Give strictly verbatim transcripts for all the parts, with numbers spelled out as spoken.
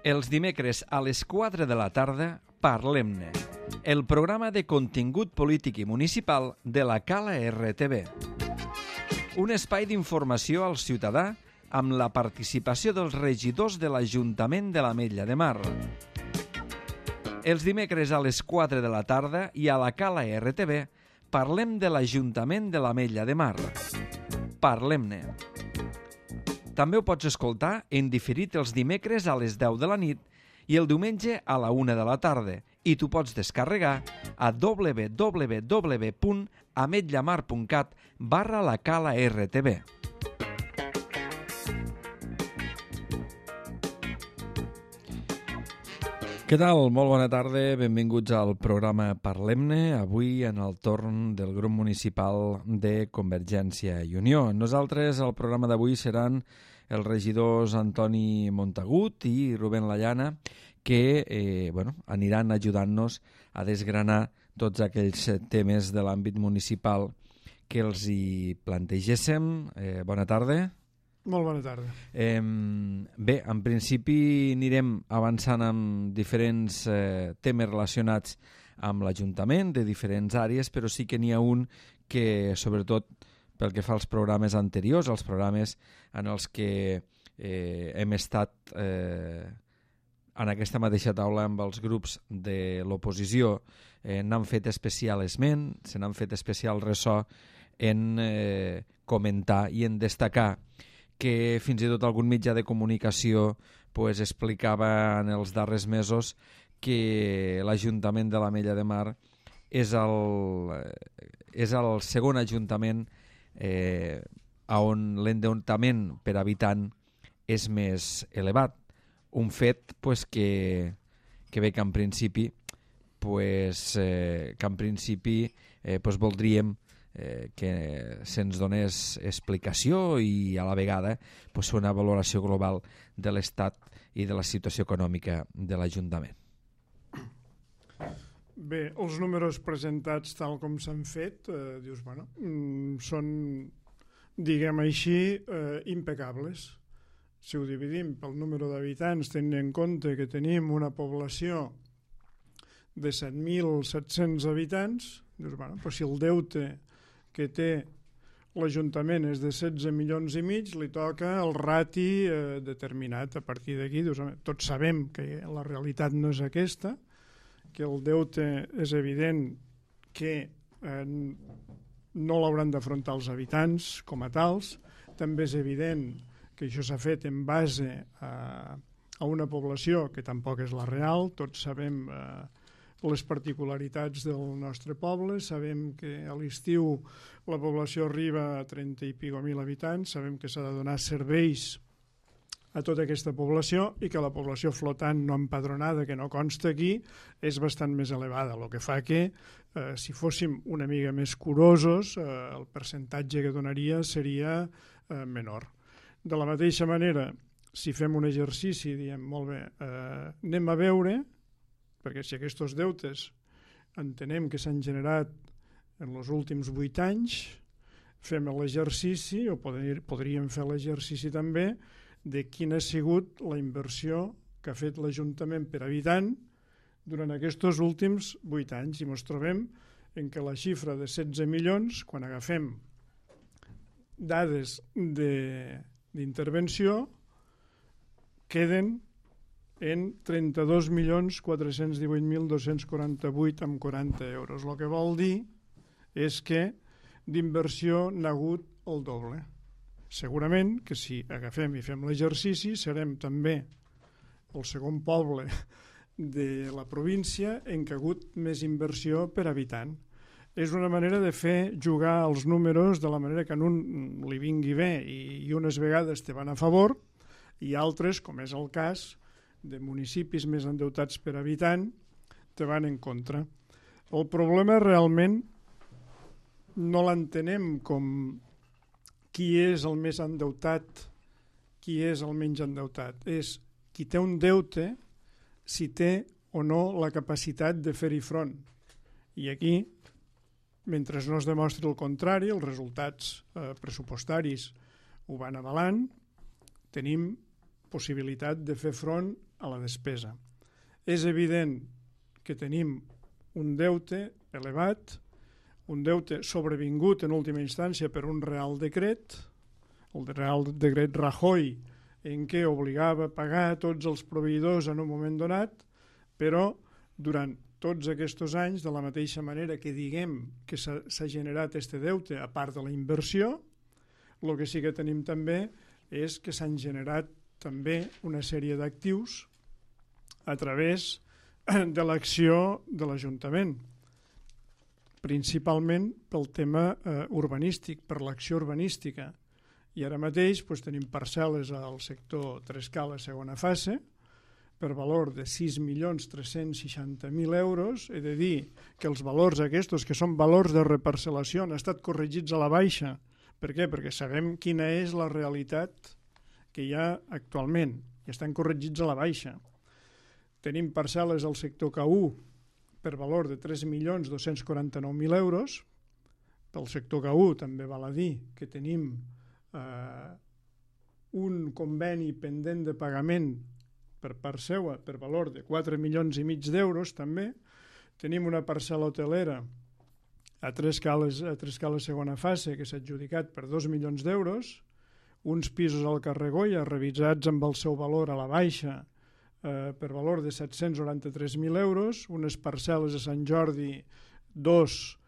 Els dimecres a les quatre de la tarda, Parlem-ne, el programa de contingut polític i municipal de la Cala R T V. Un espai d'informació al ciutadà amb la participació dels regidors de l'Ajuntament de l'Ametlla de Mar. Els dimecres a les quatre de la tarda i a la Cala R T V parlem de l'Ajuntament de l'Ametlla de Mar. Parlem-ne. També ho pots escoltar en diferit els dimecres a les deu de la nit i el diumenge a la una de la tarda, i tu pots descarregar a w w w punt ametllamar punt cat barra la Cala R T V. Què tal? Molt bona tarda, benvinguts al programa Parlem-ne, avui en el torn del grup municipal de Convergència i Unió. Nosaltres, el programa d'avui seran els regidors Antoni Montagut i Rubén Llana, que eh, bueno, aniran ajudant-nos a desgranar tots aquells temes de l'àmbit municipal que els hi plantegéssim. Eh, bona tarda. Molt bona tarda. Eh, bé, en principi anirem avançant amb diferents eh, temes relacionats amb l'Ajuntament, de diferents àrees, però sí que n'hi ha un que, sobretot pel que fa als programes anteriors, els programes en els que eh, hem estat eh, en aquesta mateixa taula amb els grups de l'oposició, eh, n'han fet especial esment, se n'han fet especial ressò en eh, comentar i en destacar que fins i tot algun mitjà de comunicació pues, explicava en els darrers mesos que l'Ajuntament de l'Ametlla de Mar és el, és el segon ajuntament eh, on l'endeutament per habitant és més elevat. Un fet pues, que, que bé que en principi, pues, eh, que en principi eh, pues, voldríem Eh, que se'ns donés explicació i a la vegada pues, una valoració global de l'estat i de la situació econòmica de l'Ajuntament. Bé, els números presentats tal com s'han fet, eh, dius, bueno, mm, són, diguem així, eh, impecables. Si ho dividim pel número d'habitants, tenint en compte que tenim una població de set mil set-cents habitants, dius, bueno, però si el deute que té l'Ajuntament és de setze milions i mig, li toca el rati eh, determinat. A partir d'aquí, tots sabem que la realitat no és aquesta, que el deute és evident que eh, no l'hauran d'afrontar els habitants com a tals. També és evident que això s'ha fet en base a, a una població que tampoc és la real. Tots sabem eh, les particularitats del nostre poble, sabem que a l'estiu la població arriba a trenta i pico mil habitants, sabem que s'ha de donar serveis a tota aquesta població i que la població flotant no empadronada, que no consta aquí, és bastant més elevada, el que fa que eh, si fóssim una mica més curosos, eh, el percentatge que donaria seria eh, menor. De la mateixa manera, si fem un exercici, diem, molt bé, eh, anem a veure, perquè si aquests deutes entenem que s'han generat en els últims vuit anys, fem l'exercici, o podríem fer l'exercici també, de quina ha sigut la inversió que ha fet l'Ajuntament per habitant durant aquests últims vuit anys. I ens trobem en què la xifra de setze milions, quan agafem dades d'intervenció, queden en trenta-dos milions quatre-cents divuit mil dos-cents quaranta-vuit amb quaranta euros. El que vol dir és que d'inversió n'ha hagut el doble. Segurament que si agafem i fem l'exercici serem també el segon poble de la província en què ha hagut més inversió per habitant. És una manera de fer jugar els números de la manera que en un li vingui bé i unes vegades te van a favor i altres, com és el cas de municipis més endeutats per habitant, te van en contra. El problema realment no l'entenem com qui és el més endeutat, qui és el menys endeutat. És qui té un deute, si té o no la capacitat de fer-hi front. I aquí, mentre no es demostri el contrari, els resultats eh, pressupostaris ho van avalant, tenim possibilitat de fer front a la despesa. És evident que tenim un deute elevat, un deute sobrevingut en última instància per un Real Decret, el Real Decret Rajoy, en què obligava a pagar tots els proveïdors en un moment donat, però durant tots aquests anys, de la mateixa manera que diguem que s'ha generat aquest deute a part de la inversió, el que sí que tenim també és que s'han generat també una sèrie d'actius a través de l'acció de l'Ajuntament, principalment pel tema eh, urbanístic, per l'acció urbanística. I ara mateix doncs, tenim parcel·les al sector Trescala segona fase per valor de sis milions tres-cents seixanta mil euros. He de dir que els valors aquests, que són valors de reparcel·lació, han estat corregits a la baixa. Per què? Perquè sabem quina és la realitat que hi ha actualment i estan corregits a la baixa. Tenim parcel·les al sector K u per valor de tres milions dos-cents quaranta-nou mil euros. Pel sector K u també val a dir que tenim eh, un conveni pendent de pagament per part seua per valor de quatre milions i mig d'euros també. Tenim una parcel·la hotelera a Trescales, a Trescales segona fase que s'ha adjudicat per dos milions d'euros, uns pisos al carrer Goya revisats amb el seu valor a la baixa eh, per valor de set-cents noranta-tres mil euros, unes parcel·les a Sant Jordi dos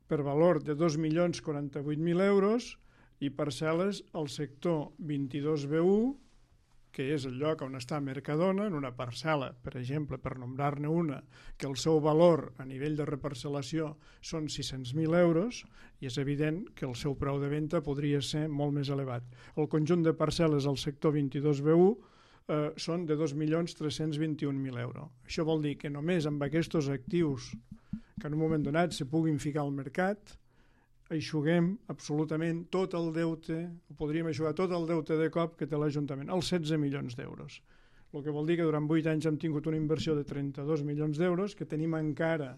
per valor de dos milions quaranta-vuit mil euros i parcel·les al sector vint-i-dos B u, que és el lloc on està Mercadona, en una parcel·la, per exemple, per nombrar-ne una, que el seu valor a nivell de reparcel·lació són sis-cents mil euros, i és evident que el seu preu de venda podria ser molt més elevat. El conjunt de parcel·les al sector vint-i-dos B u eh, són de dos milions tres-cents vint-i-un mil euros. Això vol dir que només amb aquests actius que en un moment donat se puguin ficar al mercat, eixuguem absolutament tot el deute, o podríem eixugar tot el deute de cop que té l'Ajuntament, els setze milions d'euros. El que vol dir que durant vuit anys hem tingut una inversió de trenta-dos milions d'euros, que tenim encara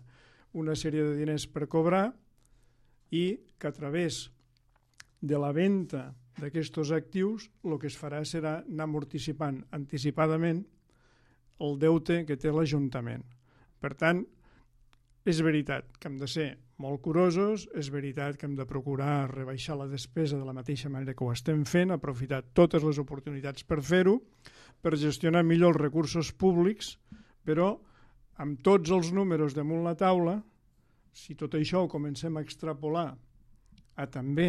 una sèrie de diners per cobrar i que a través de la venda d'aquests actius el que es farà serà anar amortitzant anticipadament el deute que té l'Ajuntament. Per tant, és veritat que hem de ser molt curosos, és veritat que hem de procurar rebaixar la despesa de la mateixa manera que ho estem fent, aprofitar totes les oportunitats per fer-ho, per gestionar millor els recursos públics, però amb tots els números damunt la taula, si tot això ho comencem a extrapolar a també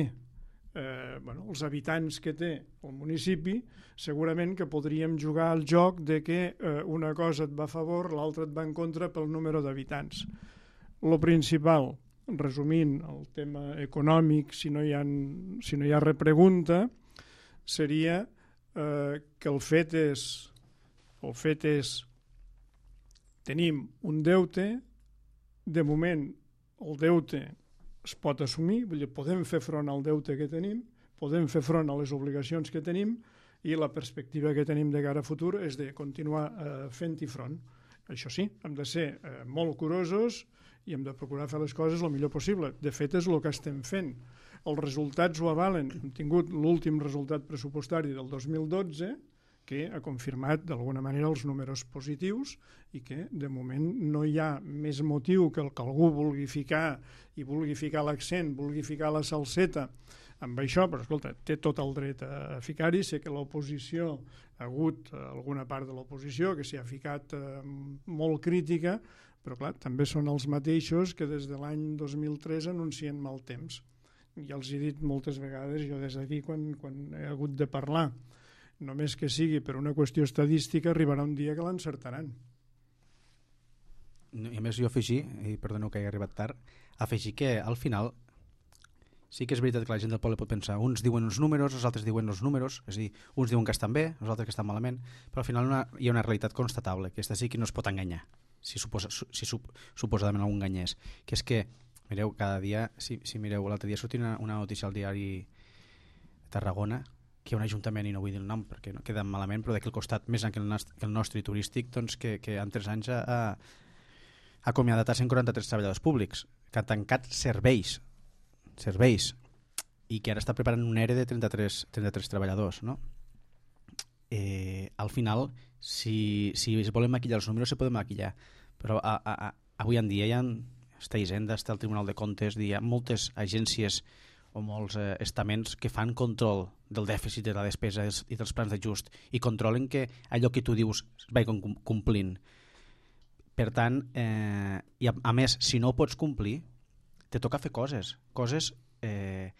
eh, bueno, els habitants que té el municipi, segurament que podríem jugar al joc de que eh, una cosa et va a favor, l'altra et va en contra pel número d'habitants. Lo principal, resumint el tema econòmic, si no hi ha, si no hi ha repregunta, seria eh, que el fet és, el fet és tenim un deute, de moment el deute es pot assumir, vull dir, podem fer front al deute que tenim, podem fer front a les obligacions que tenim i la perspectiva que tenim de cara a futur és de continuar eh, fent-hi front. Això sí, hem de ser eh, molt curosos i hem de procurar fer les coses el millor possible. De fet, és el que estem fent. Els resultats ho avalen. Hem tingut l'últim resultat pressupostari del dos mil dotze, que ha confirmat d'alguna manera els números positius i que, de moment, no hi ha més motiu que el que algú vulgui ficar i vulgui ficar l'accent, vulgui ficar la salseta amb això, però, escolta, té tot el dret a ficar-hi. Sé que l'oposició, ha hagut alguna part de l'oposició que s'hi ha ficat eh, molt crítica, però clar, també són els mateixos que des de l'any dos mil tres anuncien mal temps. Ja els he dit moltes vegades, jo des d'aquí, quan, quan he hagut de parlar, només que sigui per una qüestió estadística, arribarà un dia que l'encertaran. I a més jo afegir, i perdoneu que hagi arribat tard, afegir que al final sí que és veritat que la gent del poble pot pensar, uns diuen uns números, els altres diuen els números, és a dir, uns diuen que estan bé, els altres que estan malament, però al final una, hi ha una realitat constatable, que aquesta sí que no es pot enganyar, si, suposa, si sup, suposadament algú enganyés, que és que, mireu, cada dia, si, si mireu, l'altre dia sortia una, una notícia al diari Tarragona, que hi ha un ajuntament, i no vull dir el nom perquè no queda malament, però d'aquí al costat, més que el nostre, que el nostre i turístic, doncs que, que en tres anys ha, ha acomiadat a cent quaranta-tres treballadors públics, que han tancat serveis, serveis, i que ara està preparant un E R E de trenta-tres, trenta-tres treballadors, no? eh, al final, si, si es volen maquillar els números, se poden maquillar. Però a, a, a, avui en dia hi ha està Hisenda, està el Tribunal de Comptes, hi ha moltes agències o molts eh, estaments que fan control del dèficit de la despesa i dels plans d'ajust i controlen que allò que tu dius es vagi complint. Per tant, eh, i a, a més, si no ho pots complir, te toca fer coses, coses, eh,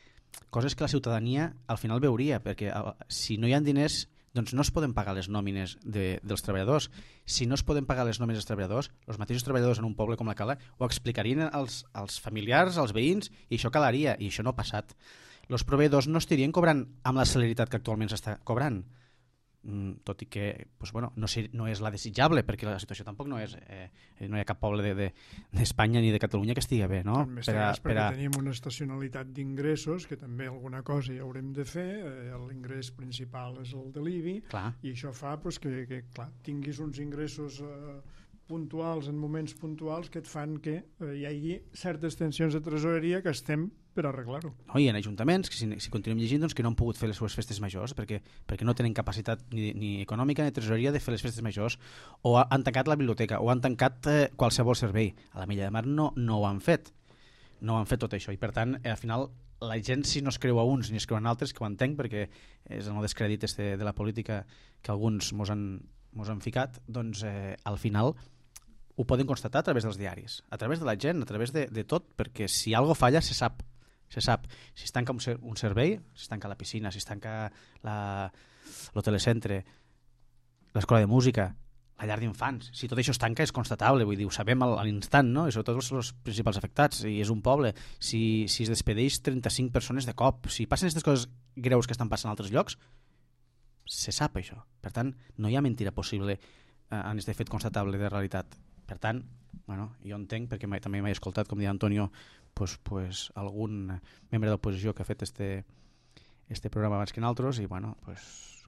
coses que la ciutadania al final veuria, perquè a, si no hi ha diners, doncs no es poden pagar les nòmines de, dels treballadors. Si no es poden pagar les nòmines dels treballadors, els mateixos treballadors en un poble com la Cala ho explicarien als, als familiars, als veïns, i això calaria, i això no ha passat. Els proveïdors no estarien cobrant amb la celeritat que actualment s'està cobrant, mm, tot i que pues, bueno, no, sé, no és la desitjable, perquè la situació tampoc no és, eh, no hi ha cap poble d'Espanya de, de, ni de Catalunya que estigui bé, no? En més per a, cas, perquè per a... tenim una estacionalitat d'ingressos, que també alguna cosa hi haurem de fer, eh, l'ingrés principal és el de l'I B I, clar. I això fa pues, que, que clar, tinguis uns ingressos eh, puntuals en moments puntuals que et fan que eh, hi hagi certes tensions de tresoreria que estem per arreglar-ho. No, i en ajuntaments, que si, si continuem llegint, doncs, que no han pogut fer les seves festes majors perquè, perquè no tenen capacitat ni, ni econòmica ni tresoreria de fer les festes majors, o han tancat la biblioteca, o han tancat eh, qualsevol servei. A la Milla de Mar no, no ho han fet. No ho han fet tot això, i per tant, eh, al final, la gent si no es creu a uns ni es creu a altres, que ho entenc, perquè és el descrèdit este de la política que alguns mos han, mos han ficat, doncs eh, al final ho poden constatar a través dels diaris, a través de la gent, a través de, de tot, perquè si algo falla se sap. Se sap, si es tanca un, ser, un servei, si es tanca la piscina, si es tanca el telecentre, l'escola de música, la llar d'infants, si tot això es tanca és constatable, vull dir, ho sabem a l'instant, no? I sobretot són els principals afectats, i és un poble. Si, si es despedeix trenta-cinc persones de cop, si passen aquestes coses greus que estan passant a altres llocs, se sap això. Per tant, no hi ha mentira possible eh, en aquest fet constatable de realitat. Per tant, bueno, jo entenc, perquè mai, també m'he escoltat, com deia Antonio, pues, pues, algun membre d'oposició que ha fet este, este programa abans que nosaltres, i bueno, pues,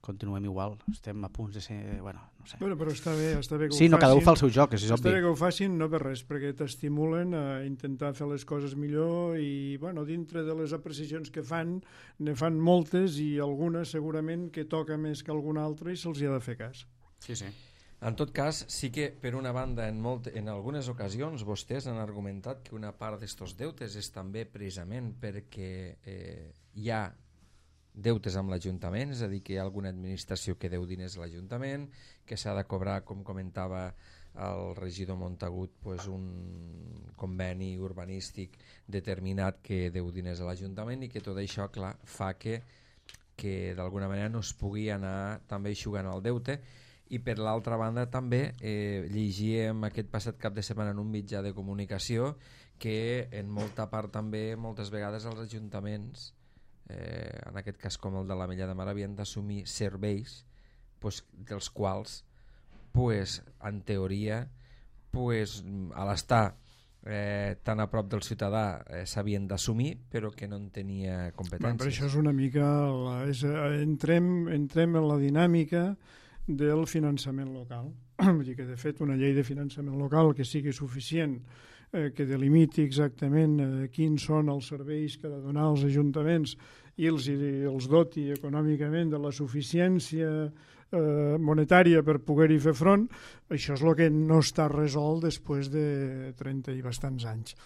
continuem igual, estem a punts de ser, bueno, no sé. Bueno, però està bé, està bé que sí, ho no, facin. cada un fa el seu joc, és està obvi. bé que ho facin, no per res, perquè t'estimulen a intentar fer les coses millor i, bueno, dintre de les apreciacions que fan, ne fan moltes i algunes segurament que toca més que alguna altra i se'ls hi ha de fer cas. Sí, sí. En tot cas, sí que, per una banda, en, molt, en algunes ocasions vostès han argumentat que una part d'estos deutes és també precisament perquè eh, hi ha deutes amb l'Ajuntament, és a dir, que hi ha alguna administració que deu diners a l'Ajuntament, que s'ha de cobrar, com comentava el regidor Montagut, pues un conveni urbanístic determinat que deu diners a l'Ajuntament, i que tot això, clar, fa que, que d'alguna manera no es pugui anar també eixugant el deute. I per l'altra banda també eh, llegíem aquest passat cap de setmana en un mitjà de comunicació que en molta part també moltes vegades els ajuntaments, eh, en aquest cas com el de la Mella de Mar, havien d'assumir serveis pues, dels quals pues, en teoria pues, a l'estar eh, tan a prop del ciutadà eh, s'havien d'assumir, però que no en tenia competències. Bueno, però això és una mica la, és, entrem, entrem en la dinàmica del finançament local. Vull dir que, de fet, una llei de finançament local que sigui suficient, eh, que delimiti exactament eh, quins són els serveis que ha de donar als ajuntaments i els, i els doti econòmicament de la suficiència eh, monetària per poder-hi fer front, això és el que no està resolt després de trenta i bastants anys.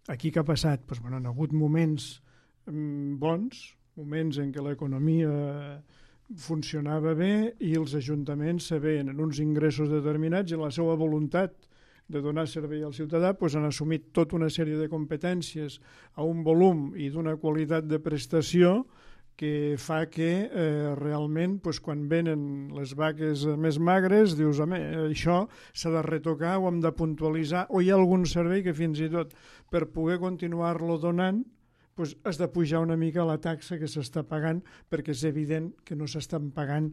Aquí què ha passat? Pues, bueno, han hagut moments mm, bons, moments en què l'economia funcionava bé i els ajuntaments se veien en uns ingressos determinats i la seva voluntat de donar servei al ciutadà pues, han assumit tota una sèrie de competències a un volum i d'una qualitat de prestació que fa que eh, realment pues, quan venen les vaques més magres dius, home, això s'ha de retocar, ho hem de puntualitzar, o hi ha algun servei que fins i tot per poder continuar-lo donant pues has de pujar una mica la taxa que s'està pagant perquè és evident que no s'estan pagant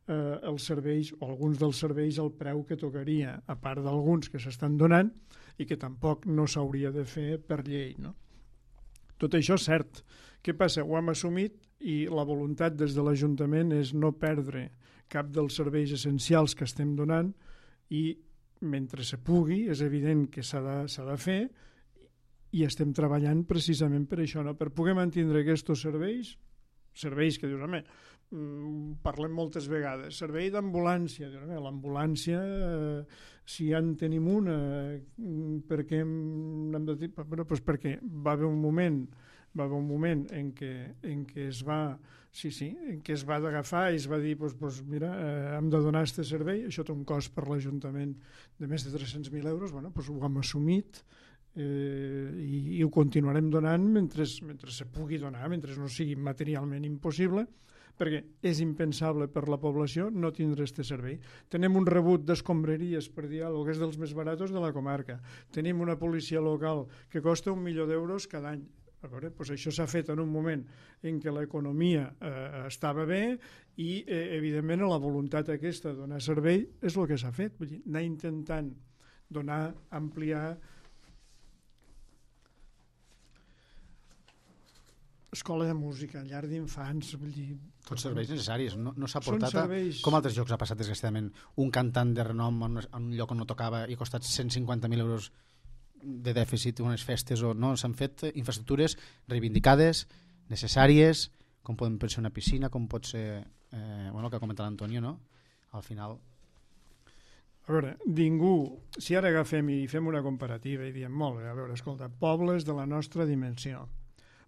eh, els serveis o alguns dels serveis al preu que tocaria, a part d'alguns que s'estan donant i que tampoc no s'hauria de fer per llei. No? Tot això és cert. Què passa? Ho hem assumit i la voluntat des de l'Ajuntament és no perdre cap dels serveis essencials que estem donant i mentre se pugui és evident que s'ha de, s'ha de fer i estem treballant precisament per això, no? Per poder mantindre aquests serveis serveis que dius, home, parlem moltes vegades, servei d'ambulància, l'ambulància, eh, si ja en tenim una, per què hem de dir? Bueno, doncs perquè va haver un moment, va haver un moment en què, en què es va, sí, sí, en què es va d'agafar i es va dir, doncs, doncs mira, eh, hem de donar aquest servei, això té un cost per l'Ajuntament de més de tres-cents mil euros, bueno, doncs ho hem assumit, eh, i, i ho continuarem donant mentre, mentre se pugui donar, mentre no sigui materialment impossible, perquè és impensable per la població no tindre aquest servei. Tenim un rebut d'escombraries per diàleg, que és dels més baratos de la comarca. Tenim una policia local que costa un milió d'euros cada any. A veure, doncs això s'ha fet en un moment en què l'economia eh, estava bé i, eh, evidentment, la voluntat aquesta de donar servei és el que s'ha fet. Vull dir, anar intentant donar, ampliar escola de música, llar d'infants, vull dir... Tots serveis necessaris, no, no s'ha portat serveis... a, com altres llocs ha passat desgraciadament, un cantant de renom en, en un lloc on no tocava i ha costat cent cinquanta mil euros de dèficit, unes festes, o no, s'han fet infraestructures reivindicades, necessàries, com podem ser una piscina, com pot ser, eh, bueno, el que ha comentat l'Antonio, no? Al final... A veure, ningú, si ara agafem i fem una comparativa i diem, molt bé, a veure, escolta, pobles de la nostra dimensió,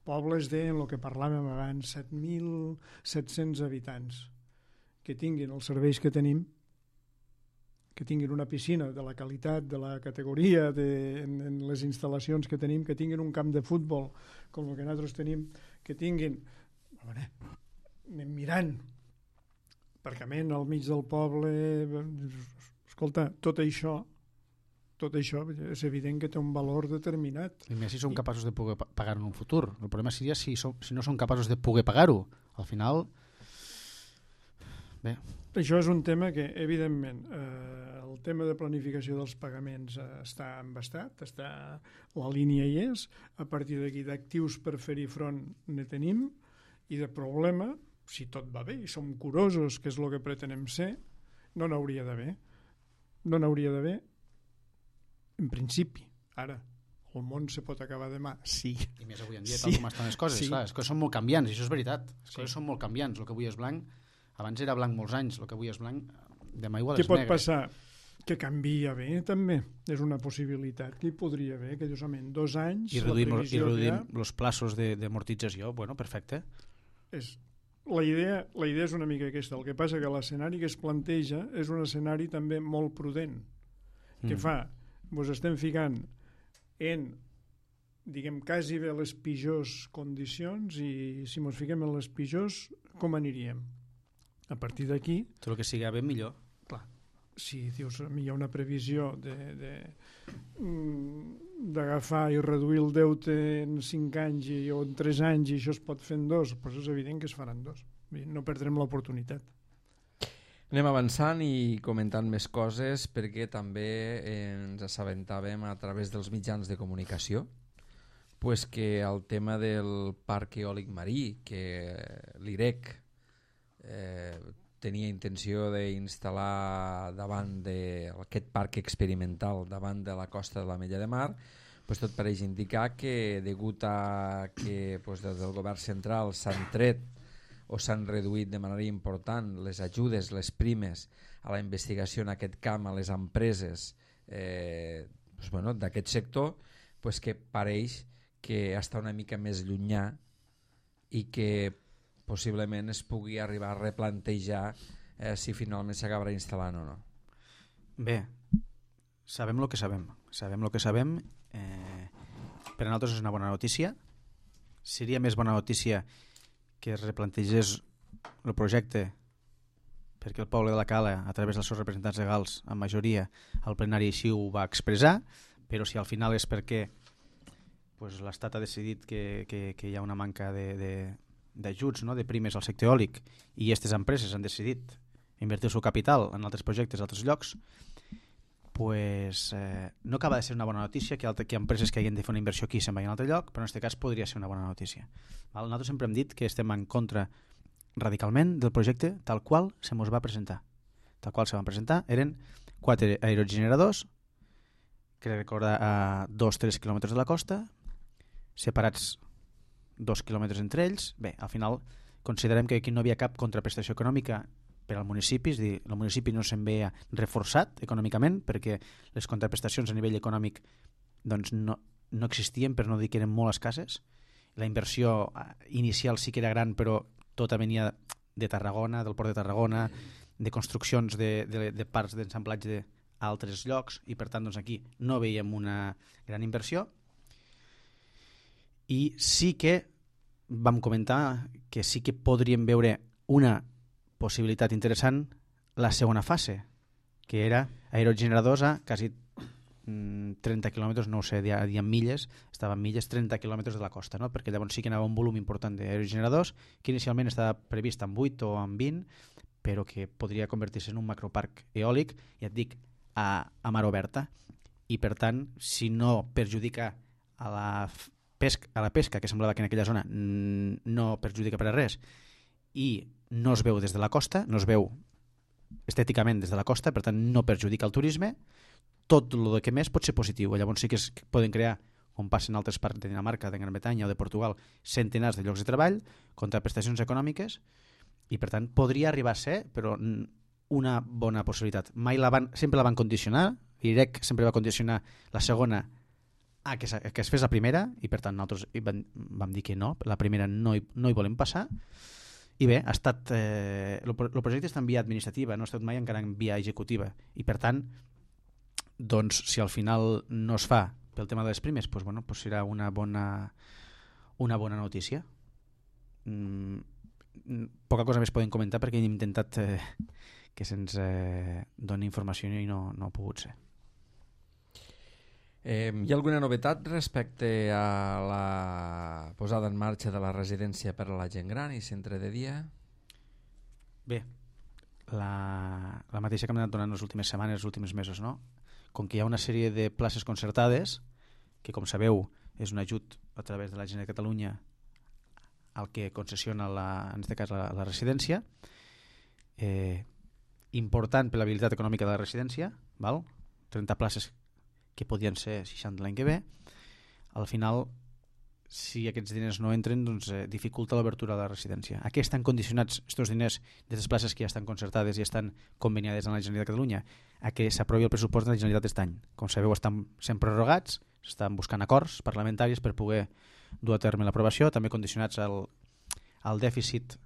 pobles de, en el que parlàvem abans, set mil set-cents habitants, que tinguin els serveis que tenim, que tinguin una piscina de la qualitat, de la categoria, de, en, en les instal·lacions que tenim, que tinguin un camp de futbol com el que nosaltres tenim, que tinguin, a veure, anem mirant, aparcament al mig del poble, escolta, tot això, tot això és evident que té un valor determinat. I més si som capaços de poder pagar-ho en un futur. El problema seria si, som, si no som capaços de poder pagar-ho. Al final... Bé. Això és un tema que, evidentment, eh, el tema de planificació dels pagaments eh, està embastat, està, la línia hi és, a partir d'aquí d'actius per fer-hi front ne tenim, i de problema, si tot va bé i som curosos, que és el que pretenem ser, no n'hauria d'haver. No n'hauria d'haver, en principi. Ara, el món se pot acabar demà, sí. I més avui en dia, sí. tal com estan les coses. Sí. Clar, les coses són molt canviants, i això és veritat. Les sí. coses són molt canviants. El que avui és blanc, abans era blanc molts anys, el que avui és blanc, demà igual Què és pot negre. passar? Que canvia bé, també. És una possibilitat que hi podria haver, que dius, en dos anys... I reduïm, i reduïm ha... els plaços d'amortització, bueno, perfecte. És... La idea, la idea és una mica aquesta. El que passa que l'escenari que es planteja és un escenari també molt prudent, que Mm. fa... Ens estem ficant en, diguem, quasi bé les pitjors condicions, i si ens fiquem en les pitjors, com aniríem? A partir d'aquí... Tot el que sigui bé, millor. Clar, si dius, hi ha una previsió de, de, d'agafar i reduir el deute en cinc anys i, o en tres anys, i això es pot fer en dos, doncs és evident que es faran dos. No perdrem l'oportunitat. Anem avançant i comentant més coses, perquè també ens assabentàvem a través dels mitjans de comunicació pues que el tema del parc eòlic marí, que l'I R E C eh, tenia intenció d'instal·lar davant d'aquest parc experimental davant de la costa de l'Ametlla de Mar, pues tot pareix indicar que degut a que pues, des del govern central s'han tret o s'han reduït de manera important les ajudes, les primes a la investigació en aquest camp, a les empreses eh, pues, bueno, d'aquest sector, pues, que pareix que està una mica més llunyà i que possiblement es pugui arribar a replantejar eh, si finalment s'acabarà instal·lant o no. Bé, sabem el que sabem. Sabem el que sabem. Eh, per a nosaltres és una bona notícia. Seria més bona notícia que es replantegés el projecte perquè el poble de la Cala, a través dels seus representants legals, en majoria, al plenari així ho va expressar, però si al final és perquè pues, l'Estat ha decidit que, que, que hi ha una manca d'ajuts, no? de primes al sector eòlic, i aquestes empreses han decidit invertir el seu capital en altres projectes a altres llocs, pues, eh, no acaba de ser una bona notícia que, altre, que empreses que hagin de fer una inversió aquí se'n vagin a un altre lloc, però en aquest cas podria ser una bona notícia. Val? Nosaltres sempre hem dit que estem en contra radicalment del projecte tal qual se mos va presentar. Tal qual se van presentar eren quatre aerogeneradors que recorda a dos a tres quilòmetres de la costa, separats dos quilòmetres entre ells. Bé, al final considerem que aquí no hi havia cap contraprestació econòmica per al municipi, és a dir, el municipi no se'n veia reforçat econòmicament perquè les contraprestacions a nivell econòmic doncs no, no existien, per no dir que eren molt escasses. La inversió inicial sí que era gran, però tota venia de Tarragona, del port de Tarragona, de construccions de, de, de parcs d'ensamblatge a altres llocs, i per tant doncs, aquí no veiem una gran inversió. I sí que vam comentar que sí que podríem veure una possibilitat interessant la segona fase, que era aerogeneradors a quasi trenta quilòmetres, no ho sé, diem milles, estaven milles, trenta quilòmetres de la costa, no? Perquè llavors sí que anava un volum important d'aerogeneradors, que inicialment estava previst en vuit o en vint, però que podria convertir-se en un macroparc eòlic, ja et dic, a, a mar oberta, i per tant, si no perjudica a la pesca, a la pesca, que semblava que en aquella zona no perjudica per a res, i no es veu des de la costa, no es veu estèticament des de la costa, per tant no perjudica el turisme, tot el que més pot ser positiu. Llavors sí que es poden crear, com passa en altres parts de Dinamarca, de Gran Bretanya o de Portugal, centenars de llocs de treball, contraprestacions econòmiques, i per tant podria arribar a ser, però una bona possibilitat. Mai la van, sempre la van condicionar, I R E C sempre va condicionar la segona a que, a que es fes la primera, i per tant nosaltres vam, vam dir que no, la primera no hi, no hi volem passar. I bé, ha estat eh, el, el projecte està en via administrativa, no ha estat mai encara en via executiva, i per tant doncs si al final no es fa pel tema de les primes, doncs, bueno, doncs serà una bona una bona notícia. Mm, poca cosa més podem comentar perquè hem intentat eh, que se'ns eh, doni informació i no, no ha pogut ser. Eh, hi ha alguna novetat respecte a la posada en marxa de la residència per a la gent gran i centre de dia? Bé, la, la mateixa que hem anat donant les últimes setmanes, els últims mesos, no? Com que hi ha una sèrie de places concertades, que com sabeu és un ajut a través de la Generalitat de Catalunya al que concessiona la, en aquest cas la, la residència, eh, important per l'habilitat econòmica de la residència, val? trenta places que podien ser seixanta l'any que ve. Al final, si aquests diners no entren, doncs eh, dificulta l'obertura de la residència. A què estan condicionats aquests diners d'aquestes places que ja estan concertades i estan conveniades amb la Generalitat de Catalunya? A que s'aprovi el pressupost de la Generalitat d'aquest any. Com sabeu, estan sent prorrogats, s'estan buscant acords parlamentaris per poder dur a terme l'aprovació, també condicionats al, al dèficit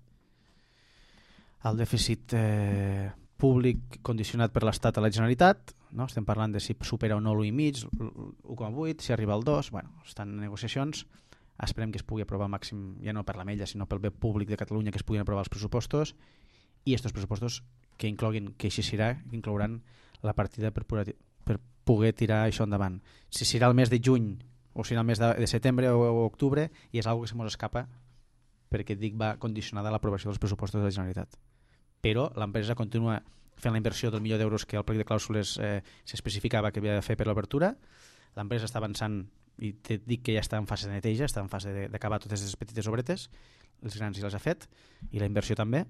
al dèficit eh, públic condicionat per l'Estat a la Generalitat, no? Estem parlant de si supera o no l'u coma cinc, l'u coma vuit, si arriba al dos, bueno, estan en negociacions, esperem que es pugui aprovar màxim, ja no per la mella, sinó pel bé públic de Catalunya, que es puguin aprovar els pressupostos, i aquests pressupostos que incloguin, que així serà, que inclouran la partida per, per poder tirar això endavant. Si serà el mes de juny o serà el mes de, de setembre o, o octubre, i és algo que se mos escapa, perquè dic va condicionada a l'aprovació dels pressupostos de la Generalitat. Però l'empresa continua fent la inversió del milió d'euros que al plec de clàusules eh, s'especificava que havia de fer per l'obertura. L'empresa està avançant i te dic que ja està en fase de neteja, està en fase d'acabar totes les petites obretes, els grans ja les ha fet, i la inversió també,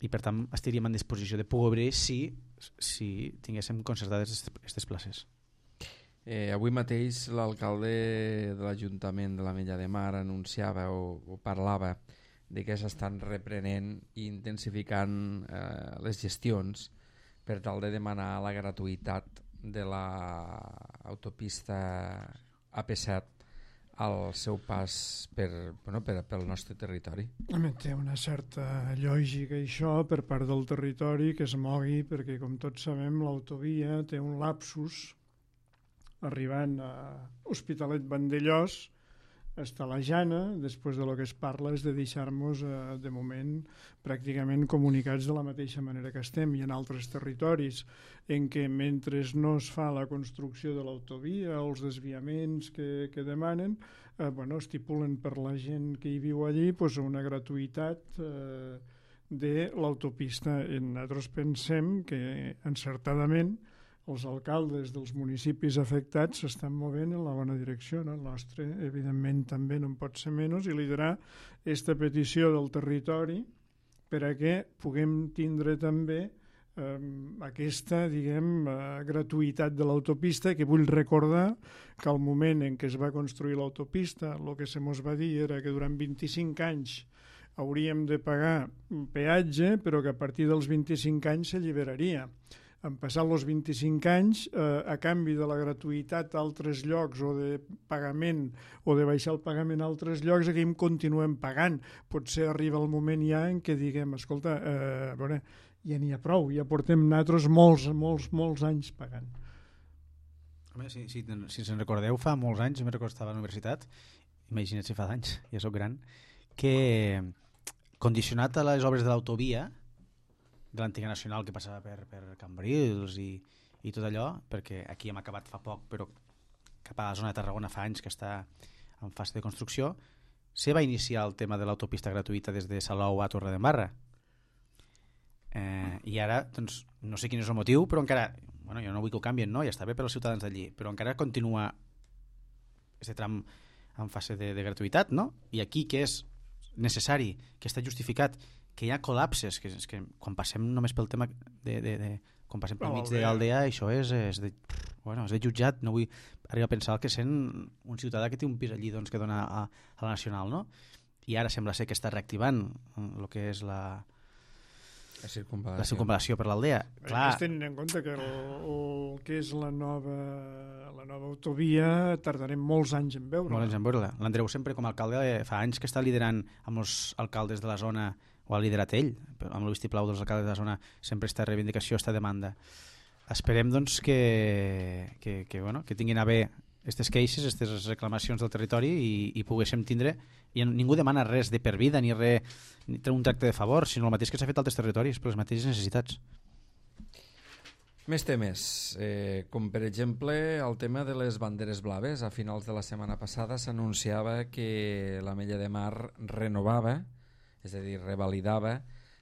i per tant estaríem en disposició de poder obrir si, si tinguéssim concertades aquestes places. Eh, avui mateix l'alcalde de l'Ajuntament de l'Ametlla de Mar anunciava o, o parlava de que s'estan reprenent i intensificant eh, les gestions per tal de demanar la gratuïtat de l'autopista A P set al seu pas per, bueno, per, pel nostre territori. Té una certa lògica això per part del territori que es mogui, perquè com tots sabem l'autovia té un lapsus arribant a Hospitalet Vandellòs, està la Jana, després de lo que es parla és de deixar-nos eh, de moment pràcticament comunicats de la mateixa manera que estem. Hi ha altres territoris en què mentre no es fa la construcció de l'autovia o els desviaments que, que demanen, eh, bueno, estipulen per la gent que hi viu allí pues, una gratuïtat eh, de l'autopista. Nosaltres pensem que encertadament els alcaldes dels municipis afectats s'estan movent en la bona direcció, no? El nostre, evidentment, també no en pot ser menys, i liderar aquesta petició del territori per a que puguem tindre també eh, aquesta, diguem, eh, gratuïtat de l'autopista, que vull recordar que al moment en què es va construir l'autopista, el que se mos va dir era que durant vint-i-cinc anys hauríem de pagar un peatge, però que a partir dels vint-i-cinc anys s'alliberaria. Han passat els vint-i-cinc anys, eh, a canvi de la gratuïtat a altres llocs o de pagament o de baixar el pagament a altres llocs, aquí em continuem pagant. Potser arriba el moment ja en què diguem, escolta, eh, a veure, ja n'hi ha prou, ja portem nosaltres molts, molts, molts anys pagant. Home, si, si, si se'n recordeu, fa molts anys, me'n recordo que estava a la universitat, imagina't si fa d'anys, ja sóc gran, que condicionat a les obres de l'autovia de l'antiga nacional que passava per, per Cambrils i, i tot allò, perquè aquí hem acabat fa poc, però cap a la zona de Tarragona fa anys que està en fase de construcció, se va iniciar el tema de l'autopista gratuïta des de Salou a Torredembarra. Eh, I ara, doncs, no sé quin és el motiu, però encara, bueno, jo no vull que ho canvien, no? Ja està bé per als ciutadans d'allí, però encara continua aquest tram en fase de, de gratuïtat, no? I aquí, que és necessari, que està justificat, que hi ha col·lapses, que, és que quan passem només pel tema de, de, de quan passem pel mig de l'Aldea, això és, és, de, bueno, és de jutjat, no vull arribar a pensar que sent un ciutadà que té un pis allí doncs, que dona a, a la Nacional, no? I ara sembla ser que està reactivant el que és la, la circunvalació, la circunvalació per l'Aldea. Clar, tenint en compte que el, el que és la nova, la nova autovia tardarem molts anys en veure-la. Molts anys en veure-la. L'Andreu sempre com a alcalde fa anys que està liderant amb els alcaldes de la zona, o ha liderat ell, amb el vistiplau dels alcaldes de la zona, sempre esta reivindicació, esta demanda. Esperem doncs que, que, que, bueno, que tinguin a bé aquestes queixes, aquestes reclamacions del territori i, i poguéssim tindre, i ningú demana res de per vida ni res, ni un tracte de favor, sinó el mateix que s'ha fet a altres territoris per les mateixes necessitats. Més temes, eh, com per exemple el tema de les banderes blaves. A finals de la setmana passada s'anunciava que l'Ametlla de Mar renovava, és a dir, revalidava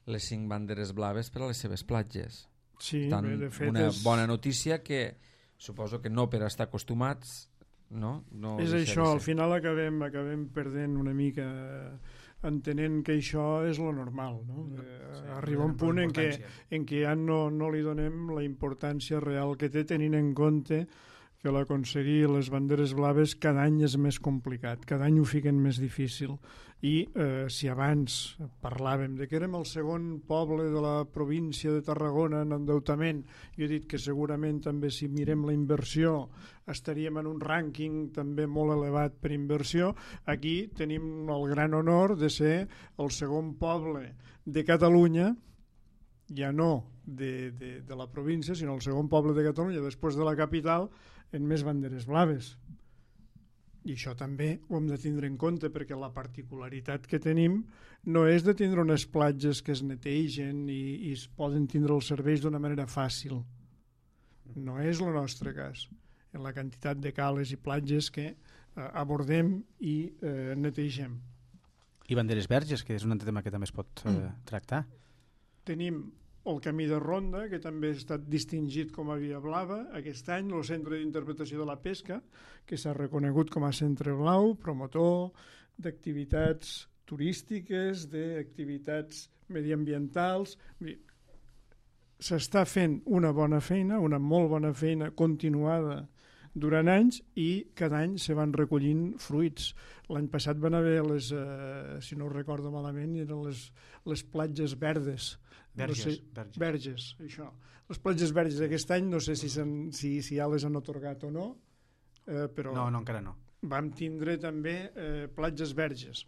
les cinc banderes blaves per a les seves platges. Sí, Tant, bé, de fet una és... bona notícia que suposo que no per estar acostumats, no? no és això, al final acabem, acabem perdent una mica, entenent que això és lo normal, no? Sí, arriba un punt en què, en què ja no, no li donem la importància real que té, tenint en compte que l'aconseguir les banderes blaves cada any és més complicat, cada any ho fiquen més difícil. I eh, si abans parlàvem de que érem el segon poble de la província de Tarragona en endeutament, jo he dit que segurament també si mirem la inversió estaríem en un rànquing també molt elevat per inversió, aquí tenim el gran honor de ser el segon poble de Catalunya, ja no de, de, de la província, sinó el segon poble de Catalunya després de la capital en més banderes blaves. I això també ho hem de tindre en compte, perquè la particularitat que tenim no és de tindre unes platges que es netegen i, i es poden tindre els serveis d'una manera fàcil. No és el nostre cas. En la quantitat de cales i platges que eh, abordem i eh, netegem. I banderes verges, que és un altre tema que també es pot eh, tractar. Tenim el camí de ronda, que també ha estat distingit com a via blava aquest any, el Centre d'Interpretació de la Pesca, que s'ha reconegut com a centre blau, promotor d'activitats turístiques, d'activitats mediambientals. S'està fent una bona feina, una molt bona feina continuada durant anys, i cada any se van recollint fruits. L'any passat van haver les, eh, si no ho recordo malament, eren les, les platges verdes, Verges, no sé, verges. verges, això. Les platges verges d'aquest any no sé si, si, si ja les han atorgat o no, eh, però no, no, encara no. Vam tindre també eh, platges verges.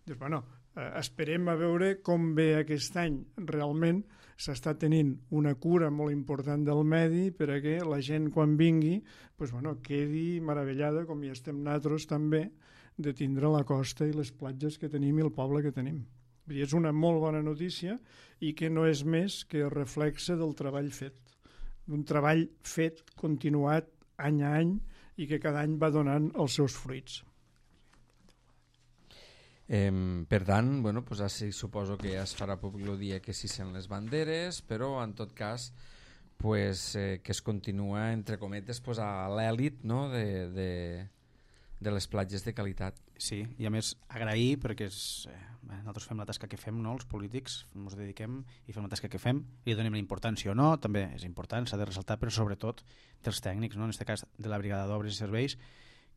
Doncs, bueno, eh, esperem a veure com ve aquest any. Realment s'està tenint una cura molt important del medi per a que la gent quan vingui pues, bueno, quedi meravellada, com hi estem nosaltres també, de tindre la costa i les platges que tenim i el poble que tenim. És una molt bona notícia i que no és més que reflexe del treball fet, d'un treball fet continuat any a any i que cada any va donant els seus fruits. Eh, per tant, bueno, pues així suposo que ja es farà públic el dia que s'hicen les banderes, però en tot cas pues, eh, que es continua, entre cometes, pues, a l'èlit, no? de, de, de les platges de qualitat. Sí, i a més agrair, perquè és, eh, nosaltres fem la tasca que fem, no? Els polítics ens dediquem i fem la tasca que fem, i donem la importància o no, també és important, s'ha de ressaltar, però sobretot dels tècnics, no? En aquest cas de la Brigada d'Obres i Serveis,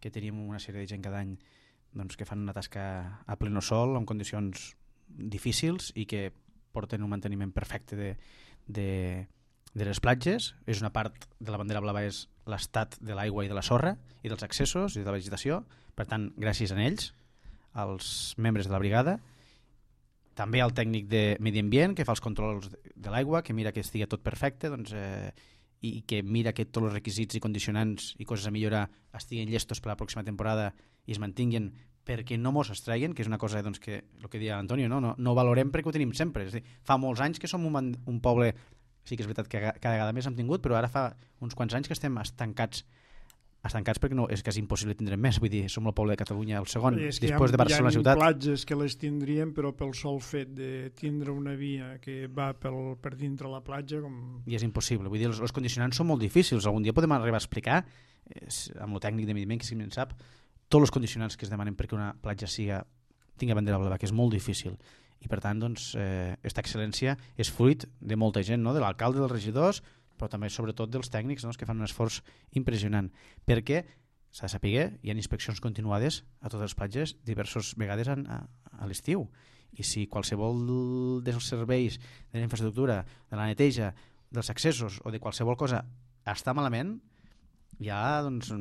que tenim una sèrie de gent cada any doncs, que fan una tasca a pleno sol, en condicions difícils i que porten un manteniment perfecte de, de, de les platges. És una part de la bandera blava, és l'estat de l'aigua i de la sorra i dels accessos i de la vegetació. Per tant, gràcies a ells, als membres de la brigada, també al tècnic de medi ambient que fa els controls de l'aigua, que mira que estigui tot perfecte, doncs, eh, i que mira que tots els requisits i condicionants i coses a millorar estiguin llestos per a la pròxima temporada i es mantinguin perquè no mos estreguen, que és una cosa doncs, que el que deia Antonio, no? No, no ho valorem perquè ho tenim sempre. És a dir, fa molts anys que som un, un poble, sí que és veritat que cada vegada més hem tingut, però ara fa uns quants anys que estem estancats estancats perquè no, és quasi impossible tindre més. Vull dir, som el poble de Catalunya el segon, després de Barcelona ciutat. Hi ha platges que les tindríem, però pel sol fet de tindre una via que va pel, per dintre la platja... Com... I és impossible. Vull dir, els, els condicionants són molt difícils. Algun dia podem arribar a explicar, eh, amb el tècnic de mediment, que si en sap, tots els condicionants que es demanen perquè una platja siga, tingui bandera blava, que és molt difícil. I per tant, doncs, eh, aquesta excel·lència és fruit de molta gent, no? De l'alcalde, dels regidors, però també sobretot dels tècnics, no? Que fan un esforç impressionant, perquè s'ha de saber, hi ha inspeccions continuades a totes les platges diverses vegades a, a, a l'estiu, i si qualsevol dels serveis de la infraestructura, de la neteja, dels accessos o de qualsevol cosa està malament, hi ha doncs,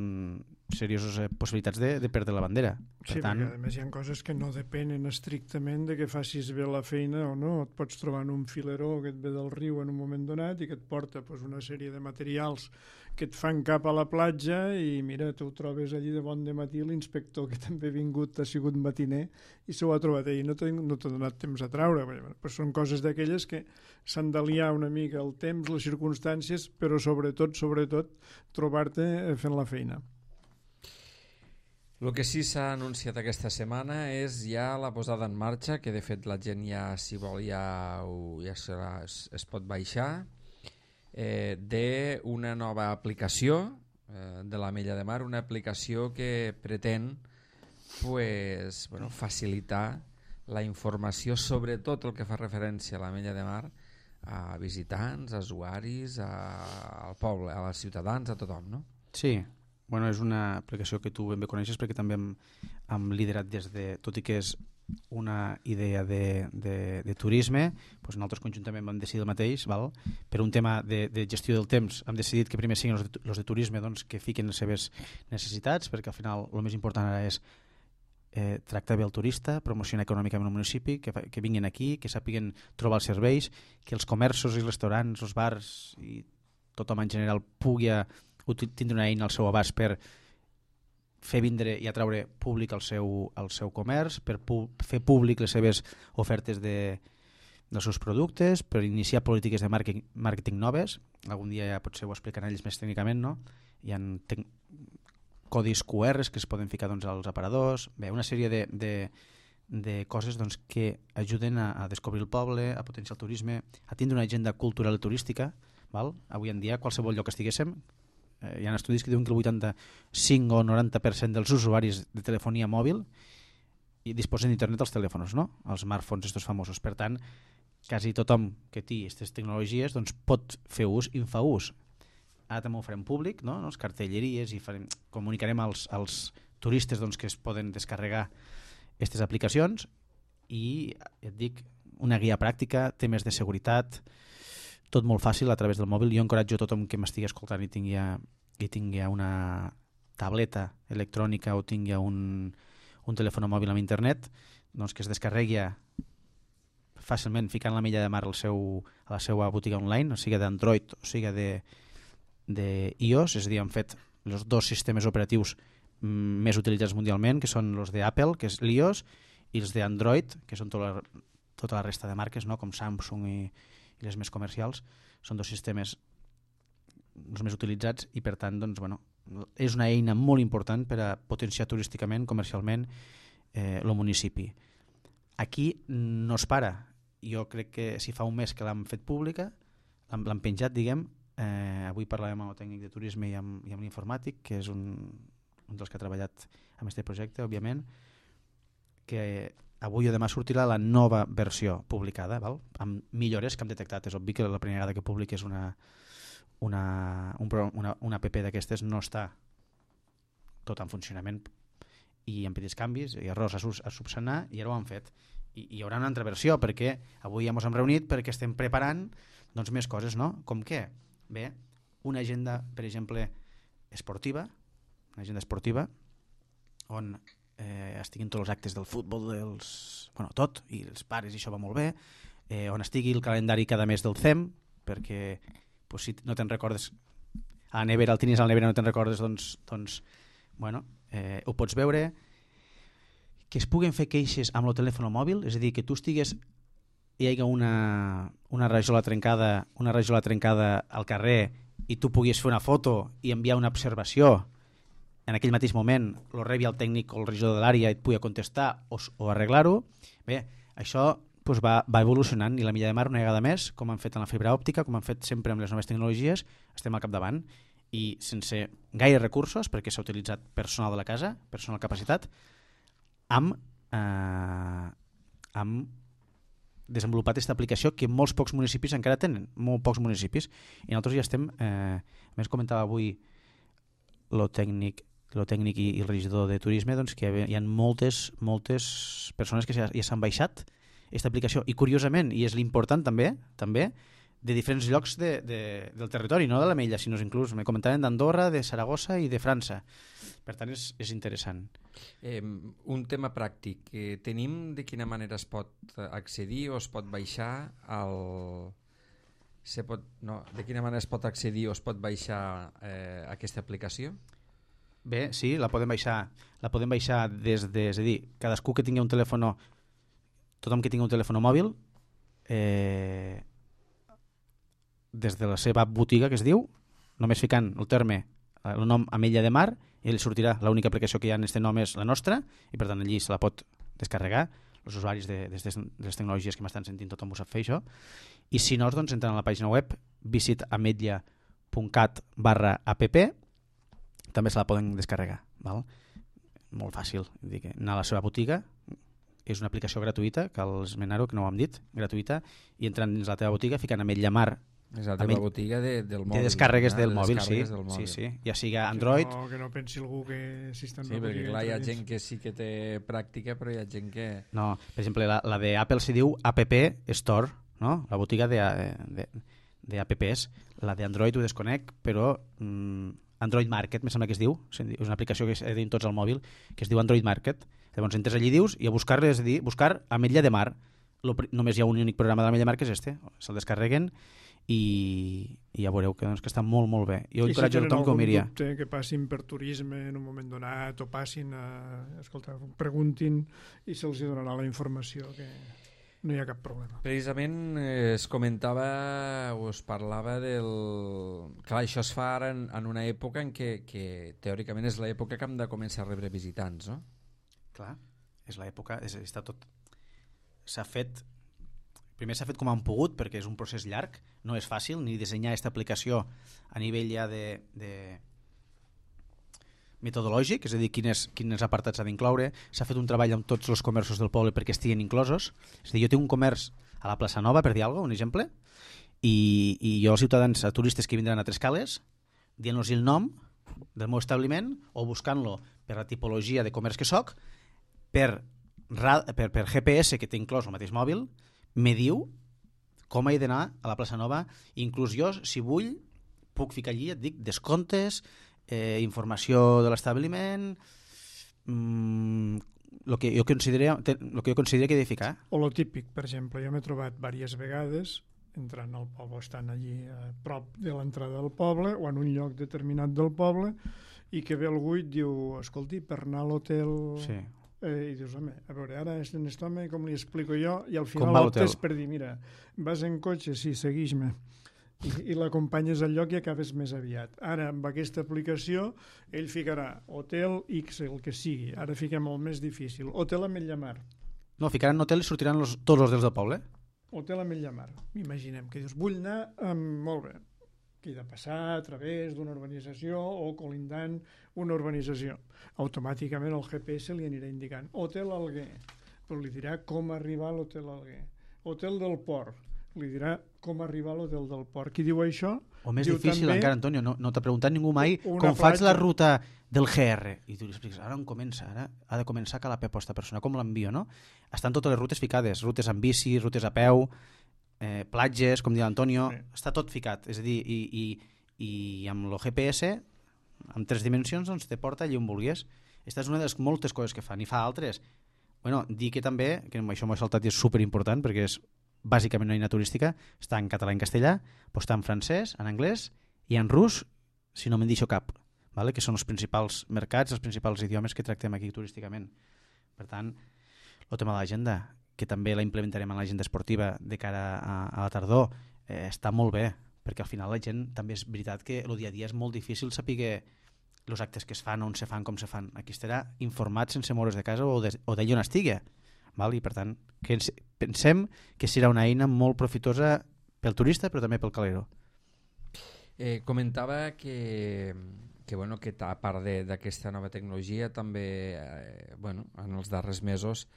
serioses possibilitats de, de perdre la bandera. Per sí, tant... perquè a més hi ha coses que no depenen estrictament de que facis bé la feina o no. Et pots trobar en un fileró que et ve del riu en un moment donat i que et porta pues, una sèrie de materials que et fan cap a la platja i mira, tu ho trobes allí de bon dematí, l'inspector que també ha vingut ha sigut matiner i s'ho ha trobat ell, no t'ha no donat temps a traure. Però són coses d'aquelles que s'han d'aliar una mica el temps, les circumstàncies, però sobretot, sobretot, trobar-te fent la feina. El que sí s'ha anunciat aquesta setmana és ja la posada en marxa, que de fet la gent ja, si vol, ja, ho, ja serà, es, es pot baixar, eh, d'una nova aplicació eh, de l'Ametlla de Mar, una aplicació que pretén pues, bueno, facilitar la informació, sobretot el que fa referència a l'Ametlla de Mar, a visitants, a usuaris, a, al poble, a als ciutadans, a tothom, no? Sí. Bueno, és una aplicació que tu ben bé coneixes perquè també hem, hem liderat des de, tot i que és una idea de, de, de turisme, doncs nosaltres conjuntament vam decidir el mateix, val? Per un tema de, de gestió del temps hem decidit que primer siguin els de, els de turisme doncs, que fiquen les seves necessitats, perquè al final el més important ara és eh, tractar bé el turista, promocionar econòmicament el municipi, que, que vinguin aquí, que sàpiguen trobar els serveis, que els comerços i restaurants, els bars i tothom en general pugui a tindre una eina al seu abast per fer vindre i atraure públic al seu, al seu comerç, per pu fer públic les seves ofertes de, dels seus productes, per iniciar polítiques de màrqueting, màrqueting noves. Algun dia ja potser ho expliquen ells més tècnicament, no? Hi ha codis Q Rs que es poden ficar doncs, als aparadors. Bé, una sèrie de, de, de coses doncs, que ajuden a, a descobrir el poble, a potenciar el turisme, a tindre una agenda cultural i turística. Val? Avui en dia, qualsevol lloc que estiguéssim, hi ha estudis que diuen que el vuitanta-cinc o noranta per cent dels usuaris de telefonia mòbil i disposen d'internet als telèfons, no? Els smartphones estos famosos. Per tant, quasi tothom que té aquestes tecnologies doncs, pot fer ús i en fa ús. Ara també ho farem públic, no? Les cartelleries, i farem, comunicarem als, als turistes doncs, que es poden descarregar aquestes aplicacions i, et dic, una guia pràctica, temes de seguretat, tot molt fàcil a través del mòbil. Jo encoratjo a tothom que m'estigui escoltant i tingui, i tingui una tableta electrònica o tingui un, un telèfon mòbil amb internet, doncs que es descarregui fàcilment ficant l'Ametlla de Mar al seu, a la seva botiga online, o sigui d'Android o sigui de, de iOS, és a dir, han fet els dos sistemes operatius més utilitzats mundialment, que són els d'Apple, que és l'iOS, i els d'Android, que són tota la, tota la resta de marques, no? Com Samsung i i les més comercials. Són dos sistemes els més utilitzats i per tant doncs, bueno, és una eina molt important per a potenciar turísticament, comercialment eh, el municipi. Aquí no es para. Jo crec que si fa un mes que l'hem fet pública, l'hem penjat, diguem, eh, avui parlàvem amb el tècnic de turisme i amb, i amb l'informàtic, que és un, un dels que ha treballat amb aquest projecte, òbviament, que avui o demà sortirà la nova versió publicada, val? Amb millores que hem detectat. És obvi que la primera vegada que publiques una, una, un, una, una app d'aquestes no està tot en funcionament i amb petits canvis i errors a, a subsanar, i ara ho han fet. i hi haurà una altra versió, perquè avui ja ens hem reunit perquè estem preparant doncs, més coses, no? Com què? Bé, una agenda, per exemple, esportiva, una agenda esportiva, on eh, estiguin tots els actes del futbol, dels, bueno, tot, i els pares, i això va molt bé, eh, on estigui el calendari cada mes del C E M, perquè pues, si no te'n recordes, a la nevera, el tenies a la nevera no te'n recordes, doncs, doncs bueno, eh, ho pots veure, que es puguen fer queixes amb el telèfon mòbil, és a dir, que tu estigues hi hagi una, una rajola trencada una rajola trencada al carrer i tu puguis fer una foto i enviar una observació en aquell mateix moment, lo rebi el tècnic o el regidor de l'àrea i et pugui contestar o, o arreglar-ho. Bé, això pues, va, va evolucionant i la Milla de Mar una vegada més, com han fet en la fibra òptica, com han fet sempre amb les noves tecnologies, estem al capdavant i sense gaire recursos, perquè s'ha utilitzat personal de la casa, personal capacitat, hem, eh, hem desenvolupat aquesta aplicació que molts pocs municipis encara tenen, molt pocs municipis, i nosaltres ja estem, eh, a més comentava avui lo tècnic, lo tècnic i, i el regidor de turisme, doncs que hi ha moltes, moltes persones que ja, ja s'han baixat aquesta aplicació, i curiosament, i és l'important també, també, de diferents llocs de, de, del territori, no de la Mella, sinó inclús, me comentaven d'Andorra, de Saragossa i de França. Per tant, és, és interessant. Eh, un tema pràctic. Eh, tenim de quina manera es pot accedir o es pot baixar al... Se pot... no, de quina manera es pot accedir o es pot baixar eh, aquesta aplicació? Bé, sí, la podem baixar, la podem baixar des de... És a dir, cadascú que tingui un telèfon, tothom que tingui un telèfon mòbil, eh, des de la seva botiga, que es diu, només ficant el terme, el nom Ametlla de Mar, i li sortirà l'única aplicació que hi ha en aquest nom és la nostra, i per tant allí se la pot descarregar, els usuaris de, de, de les tecnologies que m'estan sentint, tothom ho sap fer això, i si no, doncs entren a la pàgina web visitametlla punt cat barra app, també se la poden descarregar, val? Molt fàcil, dir que anar a la seva botiga, és una aplicació gratuïta, cal esmenar-ho, que no ho hem dit, gratuïta, i entrant dins la teva botiga, ficant Ametlla Mar. És la teva botiga de, del mòbil. De descàrregues del de mòbil, sí. del mòbil. Sí, sí. Ja sigui Android... Que no, que no pensi algú que si està en sí, perquè clar, hi ha gent que sí que té pràctica, però hi ha gent que... No, per exemple, la, la d'Apple s'hi diu App Store, no? La botiga de, de, de apps. La d'Android ho desconec, però mm, Android Market, me sembla que es diu, és una aplicació que es diu tots al mòbil, que es diu Android Market. Llavors entres allí i dius, i a buscar, és a dir, buscar Ametlla de Mar. Lo, només hi ha un únic programa de l'Ametlla de Mar, que és este. Se'l descarreguen i, i ja veureu que, doncs, que està molt, molt bé. Jo encoratjo a tothom que ho miria. I si tenen algun dubte que passin per turisme en un moment donat o passin a... Escolta, preguntin i se'ls donarà la informació, que no hi ha cap problema. Precisament eh, es comentava o es parlava del... Clar, això es fa ara en, en una època en què, que teòricament és l'època que hem de començar a rebre visitants, no? Clar, és l'època, és, està tot... S'ha fet... Primer s'ha fet com han pogut, perquè és un procés llarg, no és fàcil, ni dissenyar aquesta aplicació a nivell ja de, de metodològic, és a dir, quines, quines apartats s'ha d'incloure. S'ha fet un treball amb tots els comerços del poble perquè estiguin inclosos. És a dir, jo tinc un comerç a la plaça Nova, per dir alguna cosa, un exemple, i, i jo als ciutadans, a turistes que vindran a Trescales, dient-los el nom del meu establiment o buscant-lo per la tipologia de comerç que soc, per, per, per G P S que té inclòs el mateix mòbil, me diu com he d'anar a la plaça Nova, inclús jo, si vull, puc ficar allí, et dic, descomptes, eh, informació de l'establiment, mmm, el que jo considero, el que jo considero que he de ficar. O lo típic, per exemple, jo m'he trobat diverses vegades entrant al poble, estan allí a prop de l'entrada del poble o en un lloc determinat del poble, i que ve algú i et diu, escolti, per anar a l'hotel... Sí. Eh, i dius, home, a veure, ara és en aquest home, com li explico jo, i al final optes per dir, mira, vas en cotxe, sí, seguix-me, i, i l'acompanyes al lloc i acabes més aviat. Ara, amb aquesta aplicació, ell ficarà hotel X, el que sigui. Ara fiquem el més difícil. Hotel Ametlla Mar. No, ficaran hotel i sortiran los, tots els hotels del poble. Hotel Ametlla Mar. Imaginem que dius, vull anar amb... Molt bé. Que he de passar a través d'una urbanització o colindant una urbanització. Automàticament el G P S li anirà indicant Hotel Alguer, però li dirà com arribar a l'Hotel Alguer. Hotel del Port, li dirà com arribar a l'hotel del port. Qui diu això... O més diu difícil també, encara, Antonio, no, no t'ha preguntat ningú mai una com faig platja. la ruta del G R. I tu li expliques, ara on comença? Ara ha de començar a Calafell aquesta persona. Com l'envio, no? Estan totes les rutes ficades, rutes amb bici, rutes a peu, eh, platges, com diu l'Antonio, Sí. està tot ficat. És a dir, i, i, i amb el G P S, amb tres dimensions, doncs te porta allà on vulguis. Aquesta és una de les moltes coses que fan. I fa altres. Bueno, dir que també, que això m'ho he saltat i és superimportant, perquè és bàsicament una eina turística, està en català i en castellà, però està en francès, en anglès i en rus, si no me'n deixo cap, vale? Que són els principals mercats, els principals idiomes que tractem aquí turísticament. Per tant, el tema de l'agenda, que també la implementarem en l'agenda esportiva de cara a, a la tardor, eh, està molt bé, perquè al final la gent també és veritat que el dia a dia és molt difícil saber els actes que es fan, on se fan, com se fan. Aquí estarà informat sense moure's de casa o d'allà on estigui. Val? I per tant, que ens, pensem que serà una eina molt profitosa pel turista però també pel calero. Eh, comentava que, que, bueno, que a part d'aquesta nova tecnologia també eh, bueno, en els darrers mesos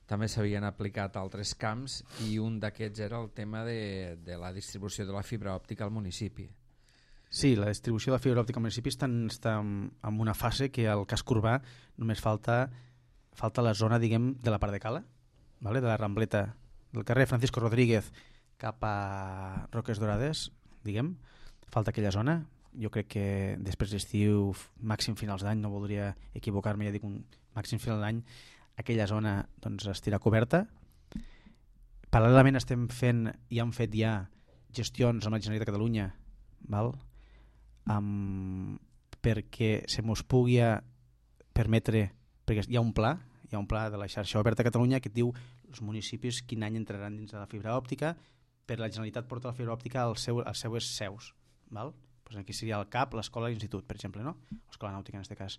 també s'havien aplicat altres camps i un d'aquests era el tema de, de la distribució de la fibra òptica al municipi. Sí, la distribució de la fibra òptica al municipi està, està en una fase que al casc urbà només falta falta la zona, diguem, de la part de Cala, vale? De la Rambleta, del carrer Francisco Rodríguez cap a Roques Dorades, diguem, falta aquella zona. Jo crec que després d'estiu, màxim finals d'any, no voldria equivocar-me, ja dic un màxim final d'any, aquella zona doncs, estirà coberta. Paral·lelament estem fent, i hem fet ja gestions amb la Generalitat de Catalunya, val? Um, perquè se mos pugui permetre, perquè hi ha un pla, hi ha un pla de la xarxa oberta a Catalunya que et diu els municipis quin any entraran dins de la fibra òptica, per la Generalitat porta la fibra òptica als, seu, als seues seus, val? Pues aquí seria el C A P, l'escola i l'institut, per exemple, no? L'escola nàutica en aquest cas.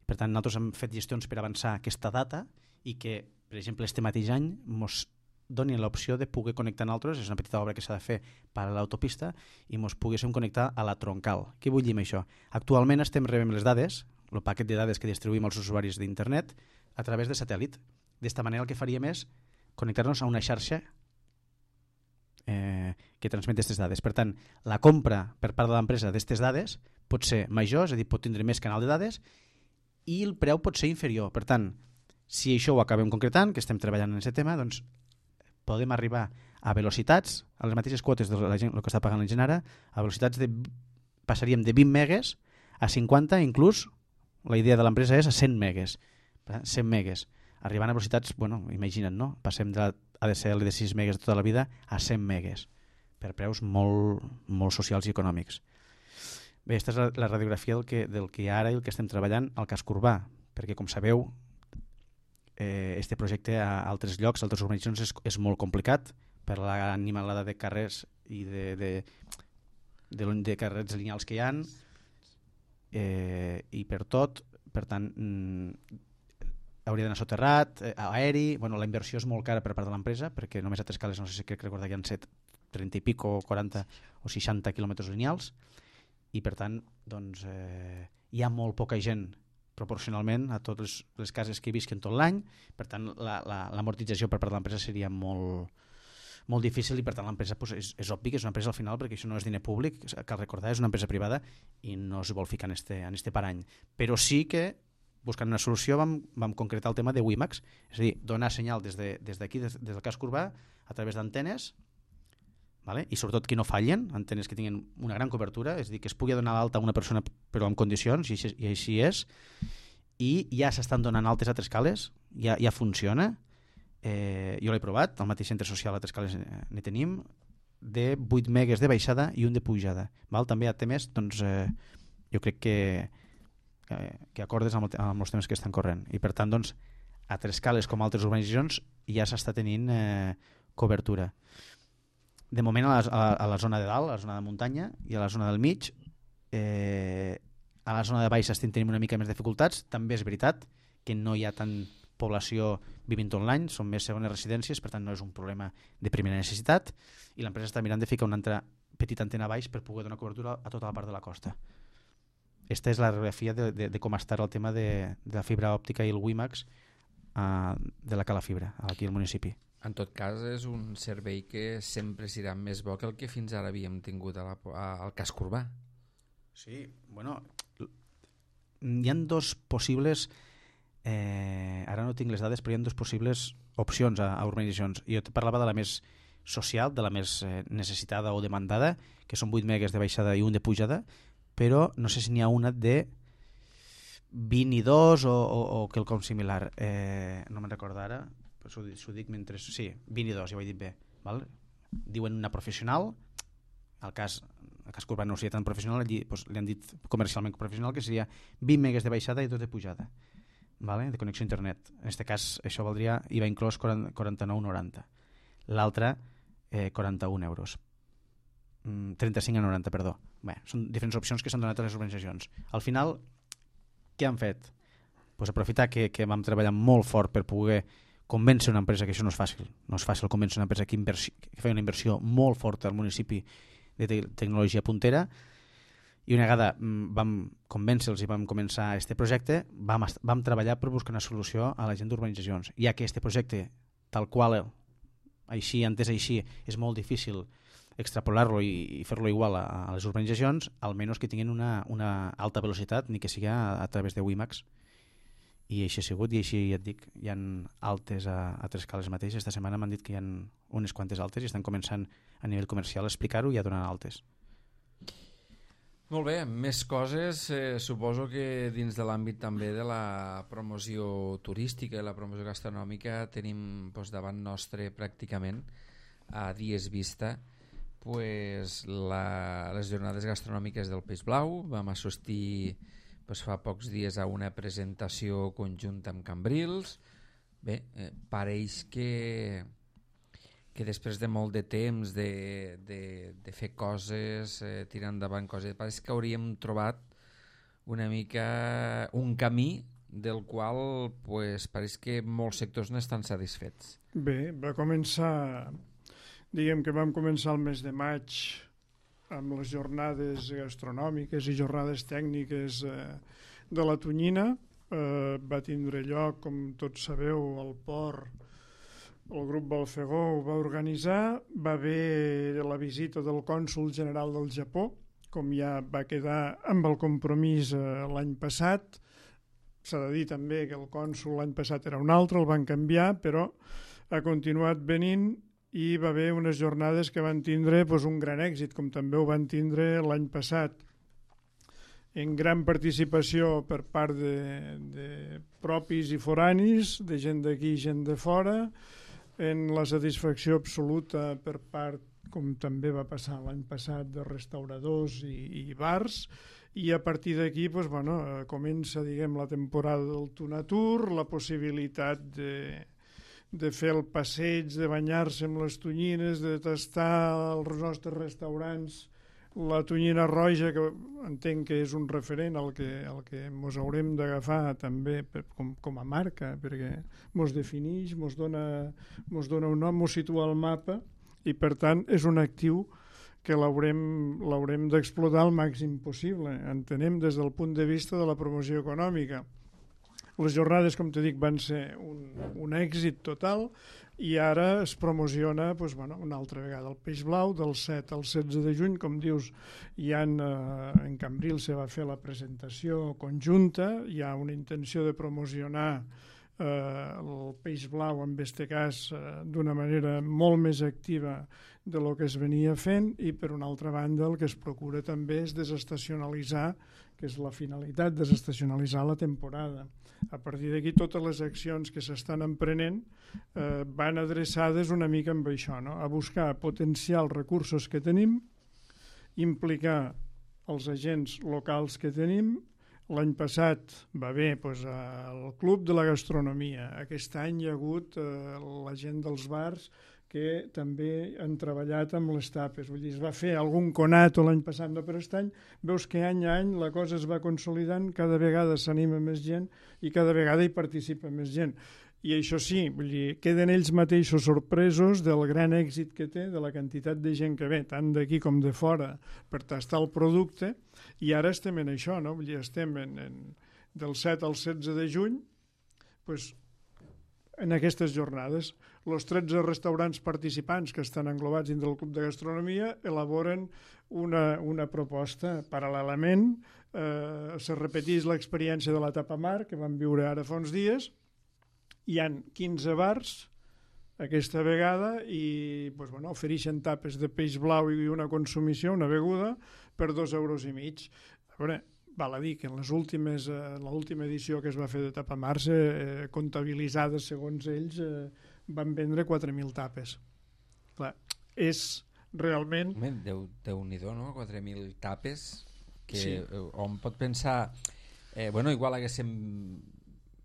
Per tant, nosaltres hem fet gestions per avançar aquesta data i que, per exemple, este mateix any mos doni l'opció de poder connectar en altres, és una petita obra que s'ha de fer per a l'autopista i mos poguéssim connectar a la troncal. Què vull dir amb això? Actualment estem rebent les dades, el paquet de dades que distribuïm als usuaris d'internet a través de satèl·lit. D'esta manera el que faríem és connectar-nos a una xarxa eh, que transmet aquestes dades. Per tant, la compra per part de l'empresa d'aquestes dades pot ser major, és a dir, pot tindre més canal de dades i el preu pot ser inferior. Per tant, si això ho acabem concretant, que estem treballant en aquest tema, doncs podem arribar a velocitats, a les mateixes quotes de la gent, el que està pagant la gent ara, a velocitats de, passaríem de vint megues a cinquanta, inclús la idea de l'empresa és a cent megues, cent megues, arribant a velocitats, bueno, imagina't, no? Passem de la A D S L de sis megues de tota la vida a cent megues, per preus molt, molt socials i econòmics. Bé, aquesta és la, la radiografia del que, del que ara i el que estem treballant al casc urbà, perquè com sabeu, eh, este projecte a altres llocs, a altres urbanitzacions és, és molt complicat per l'animalada de carrers i de, de, de, de carrers lineals que hi ha eh, i per tot, per tant mm, hauria d'anar soterrat, eh, aeri, bueno, la inversió és molt cara per part de l'empresa perquè només a Trescales, no sé si crec recordar que hi ha set, trenta i pico, quaranta o seixanta quilòmetres lineals i per tant doncs, eh, hi ha molt poca gent proporcionalment a totes les cases que hi visquen tot l'any, per tant l'amortització per part de l'empresa seria molt, molt difícil i per tant l'empresa pues, és, és obvi que és una empresa al final perquè això no és diner públic, cal recordar, és una empresa privada i no es vol ficar en este, en este parany, però sí que buscant una solució vam, vam concretar el tema de WiMAX, és a dir, donar senyal des d'aquí, de, des, des del casc urbà a través d'antenes, vale? I sobretot que no fallen, antenes que tinguin una gran cobertura, és a dir, que es pugui donar l'alta a una persona però en condicions, i així, i així és, i ja s'estan donant altes a Trescales, ja, ja funciona, eh, jo l'he provat, al mateix centre social a Trescales n'hi tenim, de vuit megues de baixada i un de pujada. Val? També a temes, doncs, eh, jo crec que, que, que acordes amb, el, amb els temes que estan corrent. I per tant, doncs, a Trescales com a altres urbanitzacions ja s'està tenint eh, cobertura. De moment a la, a, la, a la zona de dalt, a la zona de muntanya i a la zona del mig, eh, a la zona de baix estem tenint una mica més dificultats. També és veritat que no hi ha tant població vivint tot l'any, són més segones residències, per tant no és un problema de primera necessitat i l'empresa està mirant de ficar una altra petita antena a baix per poder donar cobertura a tota la part de la costa. Esta és la radiografia de, de, de com està el tema de, de la fibra òptica i el WiMAX uh, de la Calafibra aquí al municipi. En tot cas, és un servei que sempre serà més bo que el que fins ara havíem tingut a la, a, al casc urbà. Sí, bueno, hi ha dos possibles, eh, ara no tinc les dades, però hi ha dos possibles opcions a, a urbanitzacions. Jo te parlava de la més social, de la més eh, necessitada o demandada, que són vuit megas de baixada i un de pujada, però no sé si n'hi ha una de vint i dos o, o, o quelcom similar. Eh, no me'n recordo ara, però s'ho, s'ho dic mentre... Sí, vint i dos, ja ho he dit bé. Val? Diuen una professional, al cas, el cas urbà no seria tan professional, li, doncs, li han dit comercialment professional, que seria vint megas de baixada i dos de pujada, vale? De connexió a internet. En aquest cas això valdria I V A inclòs quaranta-nou noranta. L'altra eh, quaranta-un euros. Mm, trenta-cinc a noranta, perdó. Bé, són diferents opcions que s'han donat a les organitzacions. Al final, què han fet? Pues aprofitar que, que vam treballar molt fort per poder convèncer una empresa, que això no és fàcil, no és fàcil convèncer una empresa que, inversi, que feia una inversió molt forta al municipi de te tecnologia puntera, i una vegada vam convèncer-los i vam començar aquest projecte, vam, vam treballar per buscar una solució a la gent d'urbanitzacions, ja que aquest projecte, tal qual així, entès així, és molt difícil extrapolar-lo i, i fer-lo igual a, a les urbanitzacions, almenys que tinguin una, una alta velocitat, ni que sigui a, a través de WiMAX. I així ha sigut, i així ja et dic, hi ha altes a, a tres cales mateix. Esta setmana m'han dit que hi ha unes quantes altes i estan començant a nivell comercial a explicar-ho i a donar altes. Molt bé, més coses, eh, suposo que dins de l'àmbit també de la promoció turística i la promoció gastronòmica tenim doncs, davant nostre pràcticament a dies vista pues, la, les jornades gastronòmiques del Peix Blau. Vam assistir pues, fa pocs dies a una presentació conjunta amb Cambrils. Bé, eh, pareix que, que després de molt de temps de, de, de fer coses, eh, tirar endavant coses, pareix que hauríem trobat una mica un camí del qual pues, pareix que molts sectors no estan satisfets. Bé, va començar, diguem que vam començar el mes de maig amb les jornades gastronòmiques i jornades tècniques eh, de la Tonyina. Eh, va tindre lloc, com tots sabeu, al port, el grup Balfegó ho va organitzar, va haver la visita del cònsol general del Japó, com ja va quedar amb el compromís eh, l'any passat. S'ha de dir també que el cònsol l'any passat era un altre, el van canviar, però ha continuat venint i va haver unes jornades que van tindre doncs, un gran èxit, com també ho van tindre l'any passat, en gran participació per part de, de propis i foranis, de gent d'aquí i gent de fora, en la satisfacció absoluta per part, com també va passar l'any passat, de restauradors i, i bars, i a partir d'aquí doncs, bueno, comença diguem, la temporada del Tunatur, la possibilitat de de fer el passeig, de banyar-se amb les tonyines, de tastar als nostres restaurants la tonyina roja, que entenc que és un referent al que, al que mos haurem d'agafar també per, com, com a marca, perquè mos defineix, mos dona, mos dona un nom, mos situa al mapa, i per tant és un actiu que l'haurem l'haurem d'explotar al màxim possible, entenem des del punt de vista de la promoció econòmica. Les jornades, com t'he dit, van ser un, un èxit total i ara es promociona doncs, bueno, una altra vegada el Peix Blau del set al setze de juny, com dius, hi ha, eh, en Cambril se va fer la presentació conjunta, hi ha una intenció de promocionar eh, el Peix Blau en aquest cas eh, d'una manera molt més activa de lo que es venia fent, i per una altra banda el que es procura també és desestacionalitzar, que és la finalitat, desestacionalitzar la temporada. A partir d'aquí totes les accions que s'estan emprenent eh, van adreçades una mica amb això, no? A buscar potenciar els recursos que tenim, implicar els agents locals que tenim. L'any passat va haver doncs, el Club de la Gastronomia. Aquest any hi ha hagut eh, la gent dels bars que també han treballat amb les tapes. Vull dir, es va fer algun conato l'any passat, no, però aquest any veus que any a any la cosa es va consolidant, cada vegada s'anima més gent i cada vegada hi participa més gent. I això sí, vull dir, queden ells mateixos sorpresos del gran èxit que té, de la quantitat de gent que ve, tant d'aquí com de fora, per tastar el producte, i ara estem en això, no? Vull dir, estem en, en, del set al setze de juny, doncs, en aquestes jornades. Els tretze restaurants participants que estan englobats dins del Club de Gastronomia elaboren una, una proposta. Paral·lelament, eh, se repeteix l'experiència de la Tapamar, que vam viure ara fa uns dies. Hi han quinze bars aquesta vegada i pues, bueno, ofereixen tapes de peix blau i una consumició, una beguda, per dos euros i mig. A veure, val a dir que en les últimes, eh, l'última edició que es va fer de Tapamars, eh, comptabilitzades segons ells, eh, van vendre quatre mil tapes. Clar, és realment... Déu, Déu-n'hi-do, no? quatre mil tapes, que sí. On pot pensar... Eh, bueno, igual haguéssim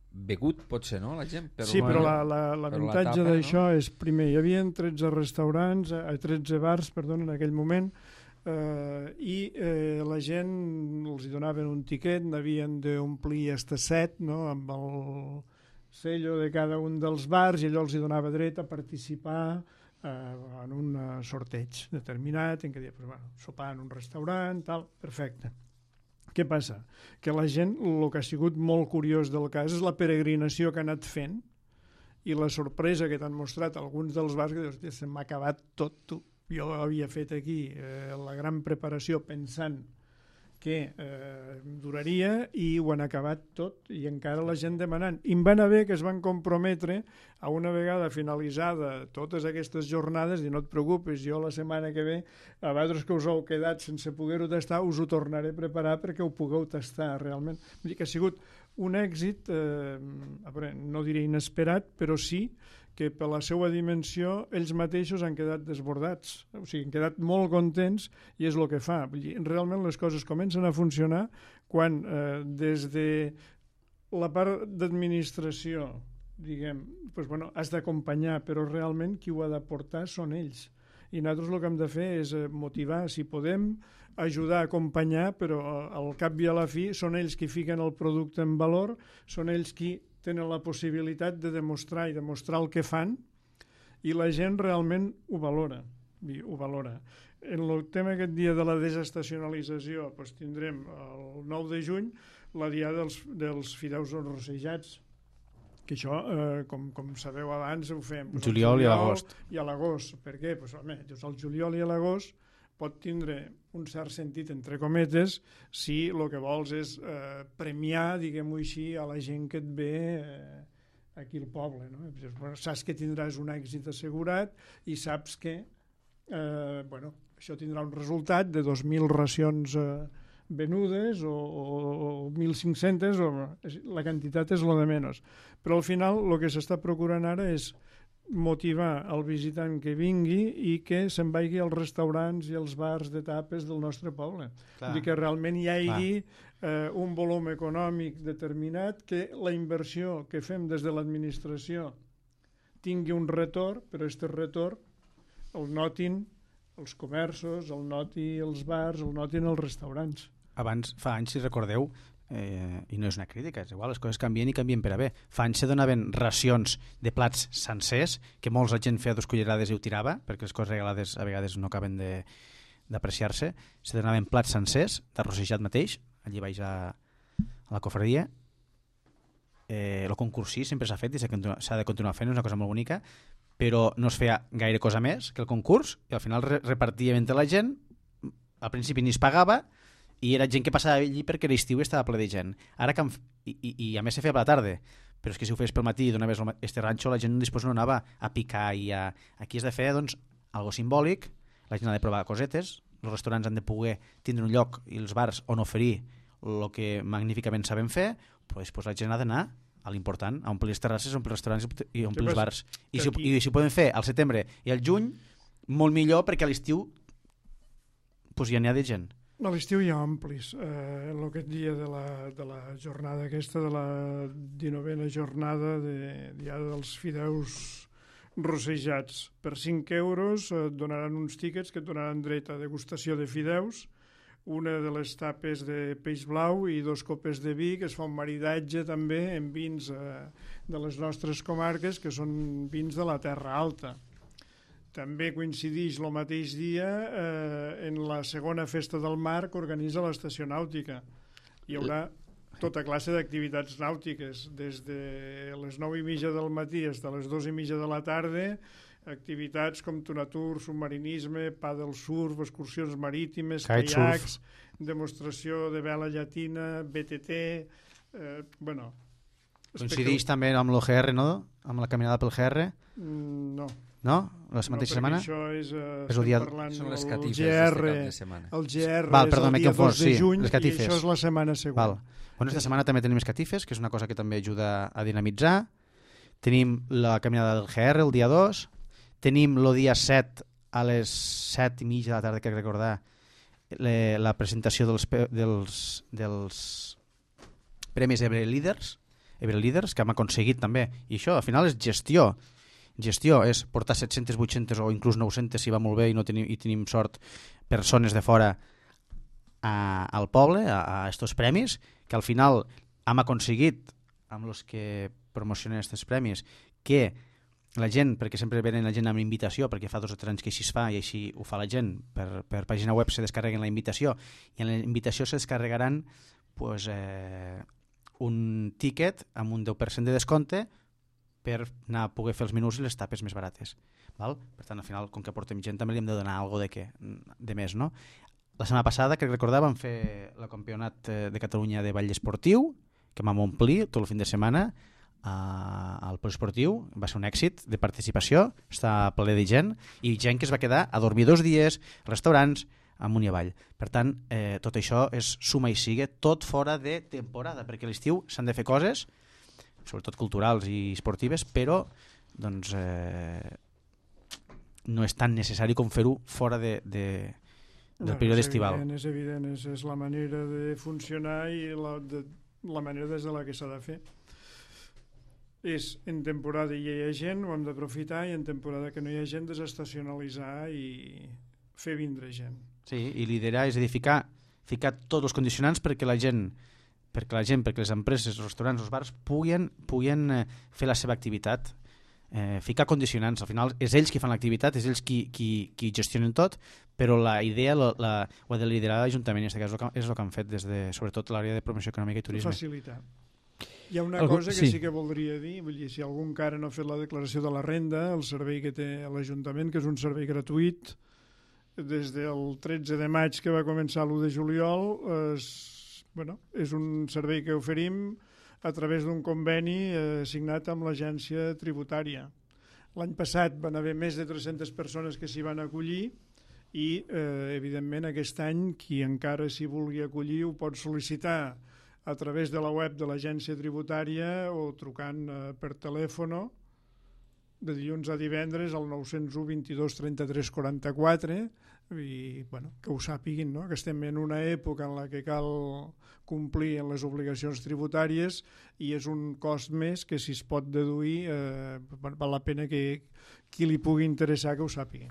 begut, potser, no, la gent? Però sí, però l'avantatge la, d'això no? És, primer, hi havia tretze restaurants, eh, tretze bars, perdó, en aquell moment, eh, i eh, la gent els hi donaven un tiquet, n'havien d'omplir hasta set, no?, amb el sello de cada un dels bars, i allò els hi donava dret a participar eh, en un sorteig determinat, en què dia, pues, bueno, sopar en un restaurant, tal, perfecte. Què passa? Que la gent, el que ha sigut molt curiós del cas és la peregrinació que ha anat fent i la sorpresa que t'han mostrat alguns dels bars, que dius, se m'ha acabat tot, tu. Jo havia fet aquí eh, la gran preparació pensant que eh, duraria i ho han acabat tot i encara la gent demanant. I em van haver que es van comprometre a una vegada finalitzada totes aquestes jornades i no et preocupis, jo la setmana que ve a vosaltres que us heu quedat sense poder-ho tastar us ho tornaré a preparar perquè ho pugueu tastar realment. Vull dir que ha sigut un èxit, eh, a veure, no diré inesperat, però sí que per la seva dimensió ells mateixos han quedat desbordats, o sigui, han quedat molt contents i és el que fa. Vull dir, realment les coses comencen a funcionar quan eh, des de la part d'administració, diguem, doncs, bueno, has d'acompanyar, però realment qui ho ha de portar són ells. I nosaltres el que hem de fer és motivar, si podem, ajudar a acompanyar, però al cap i a la fi són ells qui fiquen el producte en valor, són ells qui tenen la possibilitat de demostrar i demostrar el que fan i la gent realment ho valora. Ho valora. En el tema aquest dia de la desestacionalització doncs tindrem el nou de juny la diada dels, dels fideus rosejats, que això, eh, com, com sabeu abans, ho fem doncs, juliol, juliol i l'agost. I a l'agost. Per què? Doncs, home, dius, el juliol i l'agost pot tindre un cert sentit, entre cometes, si el que vols és eh, premiar, diguem-ho així, a la gent que et ve eh, aquí al poble. No? Saps que tindràs un èxit assegurat i saps que eh, bueno, això tindrà un resultat de dos mil racions eh, venudes o, o, o mil cinc-centes, o, la quantitat és lo de menys. Però al final el que s'està procurant ara és motivar el visitant que vingui i que se'n vagi als restaurants i als bars de tapes del nostre poble. Vull dir que realment hi hagi eh, un volum econòmic determinat, que la inversió que fem des de l'administració tingui un retorn, però aquest retorn el notin els comerços, el noti els bars, el notin els restaurants. Abans, fa anys, si recordeu, Eh, i no és una crítica, és igual, les coses canvien i canvien per a bé. Fa anys se donaven racions de plats sencers, que molts la gent feia dos cullerades i ho tirava, perquè les coses regalades a vegades no acaben d'apreciar-se. Se donaven plats sencers, d'arrossejat mateix, allí baix a, a la cofreria. Eh, el concurs sí, sempre s'ha fet i s'ha de continuar fent, és una cosa molt bonica, però no es feia gaire cosa més que el concurs, i al final re repartia entre la gent, al principi ni es pagava, i era gent que passava allí perquè l'estiu estava ple de gent. Ara que i, i, i a més se feia per la tarda, però és que si ho fes pel matí i donaves este ranxo, la gent després no anava a picar i a... Aquí has de fer, doncs, algo simbòlic, la gent ha de provar cosetes, els restaurants han de poder tindre un lloc i els bars on oferir el que magníficament saben fer, però després la gent ha d'anar a l'important, a omplir les terrasses, a omplir els restaurants i a omplir els bars. I si, I si ho poden fer al setembre i al juny, molt millor, perquè a l'estiu pues, ja n'hi ha de gent. A l'estiu hi ha amplis. Eh, en aquest dia de la, de la jornada aquesta, de la dinovena jornada de Diada dels Fideus Rosejats. Per cinc euros et donaran uns tíquets que et donaran dret a degustació de fideus, una de les tapes de peix blau i dos copes de vi, que es fa un maridatge també en vins eh, de les nostres comarques, que són vins de la Terra Alta. També coincideix el mateix dia eh, en la segona festa del mar que organitza l'Estació Nàutica. Hi haurà... tota classe d'activitats nàutiques, des de les nou i mitja del matí fins a les dos i mitja de la tarda, activitats com tunatur, submarinisme, pàdel surf, excursions marítimes, caiacs, demostració de vela llatina, B T T, eh, bueno... Coincideix també amb l'O G R, no? Amb la caminada pel G R? Mm, no. No? La mateixa no, setmana? Això és, uh, és el dia... Són les catifes G R, d'este cap de setmana. El G R Val, és perdó, el dia confós, dos de sí, juny les catifes. I això és la setmana següent. Val. Bueno, aquesta setmana també tenim les catifes, que és una cosa que també ajuda a dinamitzar. Tenim la caminada del G R el dia dos. Tenim el dia set a les set i mitja de la tarda, que recordar, le, la presentació dels, dels, dels Premis Ebre Leaders, Ebre Leaders, que hem aconseguit també. I això, al final, és gestió. Gestió és portar set-centes, vuit-centes o inclús nou-centes, si va molt bé i, no tenim, i tenim sort, persones de fora a, al poble, a, a estos premis, que al final hem aconseguit, amb els que promocionen aquests premis, que la gent, perquè sempre venen la gent amb invitació, perquè fa dos o tres anys que així es fa i així ho fa la gent, per, per pàgina web se descarreguen la invitació i en la invitació se descarregaran pues, eh, un tiquet amb un deu per cent de descompte per anar a poder fer els menús i les tapes més barates. Val? Per tant, al final, com que portem gent, també li hem de donar alguna de, què, de més. No? La setmana passada, que recordava, vam fer el campionat de Catalunya de ball esportiu, que vam omplir tot el fin de setmana al poliesportiu. Va ser un èxit de participació, està ple de gent, i gent que es va quedar a dormir dos dies, restaurants, amunt i avall. Per tant, eh, tot això és suma i sigue, tot fora de temporada, perquè a l'estiu s'han de fer coses, sobretot culturals i esportives, però doncs, eh, no és tan necessari com fer-ho fora de, de, del no, període és estival. Evident, és evident, és, és la manera de funcionar i la, de, la manera des de la que s'ha de fer. És en temporada hi ha gent, ho hem d'aprofitar, i en temporada que no hi ha gent, desestacionalitzar i fer vindre gent. Sí, i liderar és a dir, ficar, ficar tots els condicionants perquè la gent perquè la gent, perquè les empreses, els restaurants, els bars puguin, puguin eh, fer la seva activitat, eh, ficar condicionants. Al final és ells qui fan l'activitat, és ells qui, qui, qui gestionen tot, però la idea la, la, ho ha de liderar l'Ajuntament, i en aquest cas és el que han fet des de, sobretot l'àrea de promoció econòmica i turisme. Facilitar. Hi ha una Algú, cosa que sí. sí que voldria dir, vull dir, si algú encara no ha fet la declaració de la renda, el servei que té l'Ajuntament, que és un servei gratuït, des del tretze de maig que va començar l'u de juliol, és, bueno, és un servei que oferim a través d'un conveni eh, signat amb l'agència tributària. L'any passat van haver més de tres-centes persones que s'hi van acollir i, eh, evidentment, aquest any qui encara s'hi vulgui acollir ho pot sol·licitar a través de la web de l'agència tributària o trucant eh, per telèfon de dilluns a divendres al nou zero u vint-i-dos trenta-tres quaranta-quatre i bueno, que ho sàpiguin, no? Que estem en una època en la que cal complir en les obligacions tributàries i és un cost més que si es pot deduir eh, val la pena que qui li pugui interessar que ho sàpiga.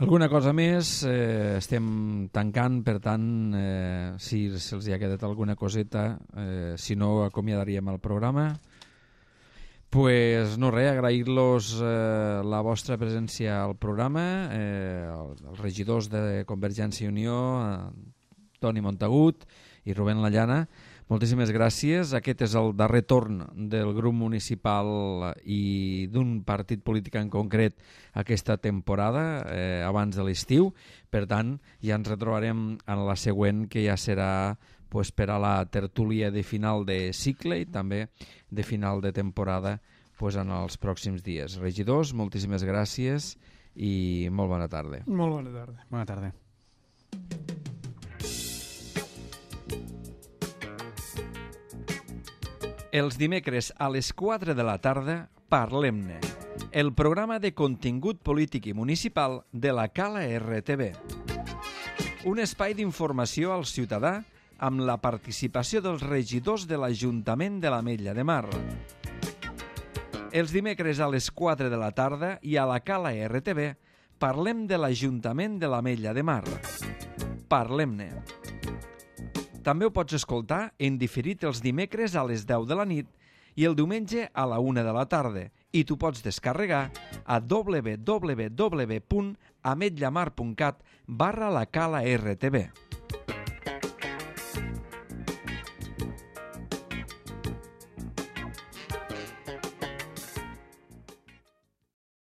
Alguna cosa més? Eh, estem tancant, per tant, eh, si se'ls ha quedat alguna coseta, eh, si no acomiadaríem el programa. Pues no res, agrair-los eh, la vostra presència al programa, eh, els regidors de Convergència i Unió, eh, Toni Montagut i Rubén Lallana. Moltíssimes gràcies. Aquest és el darrer torn del grup municipal i d'un partit polític en concret aquesta temporada, eh, abans de l'estiu. Per tant, ja ens retrobarem en la següent, que ja serà pues, per a la tertúlia de final de cicle i també de final de temporada pues, en els pròxims dies. Regidors, moltíssimes gràcies i molt bona tarda. Molt bona tarda. Bona tarda. Els dimecres a les quatre de la tarda, Parlem-ne, el programa de contingut polític i municipal de la Cala R T V. Un espai d'informació al ciutadà amb la participació dels regidors de l'Ajuntament de l'Ametlla de Mar. Els dimecres a les quatre de la tarda i a la Cala R T V parlem de l'Ajuntament de l'Ametlla de Mar. Parlem-ne. També ho pots escoltar en diferit els dimecres a les deu de la nit i el diumenge a la una de la tarda i t'ho pots descarregar a w w w punt ametlamar punt cat barra la cala R T V.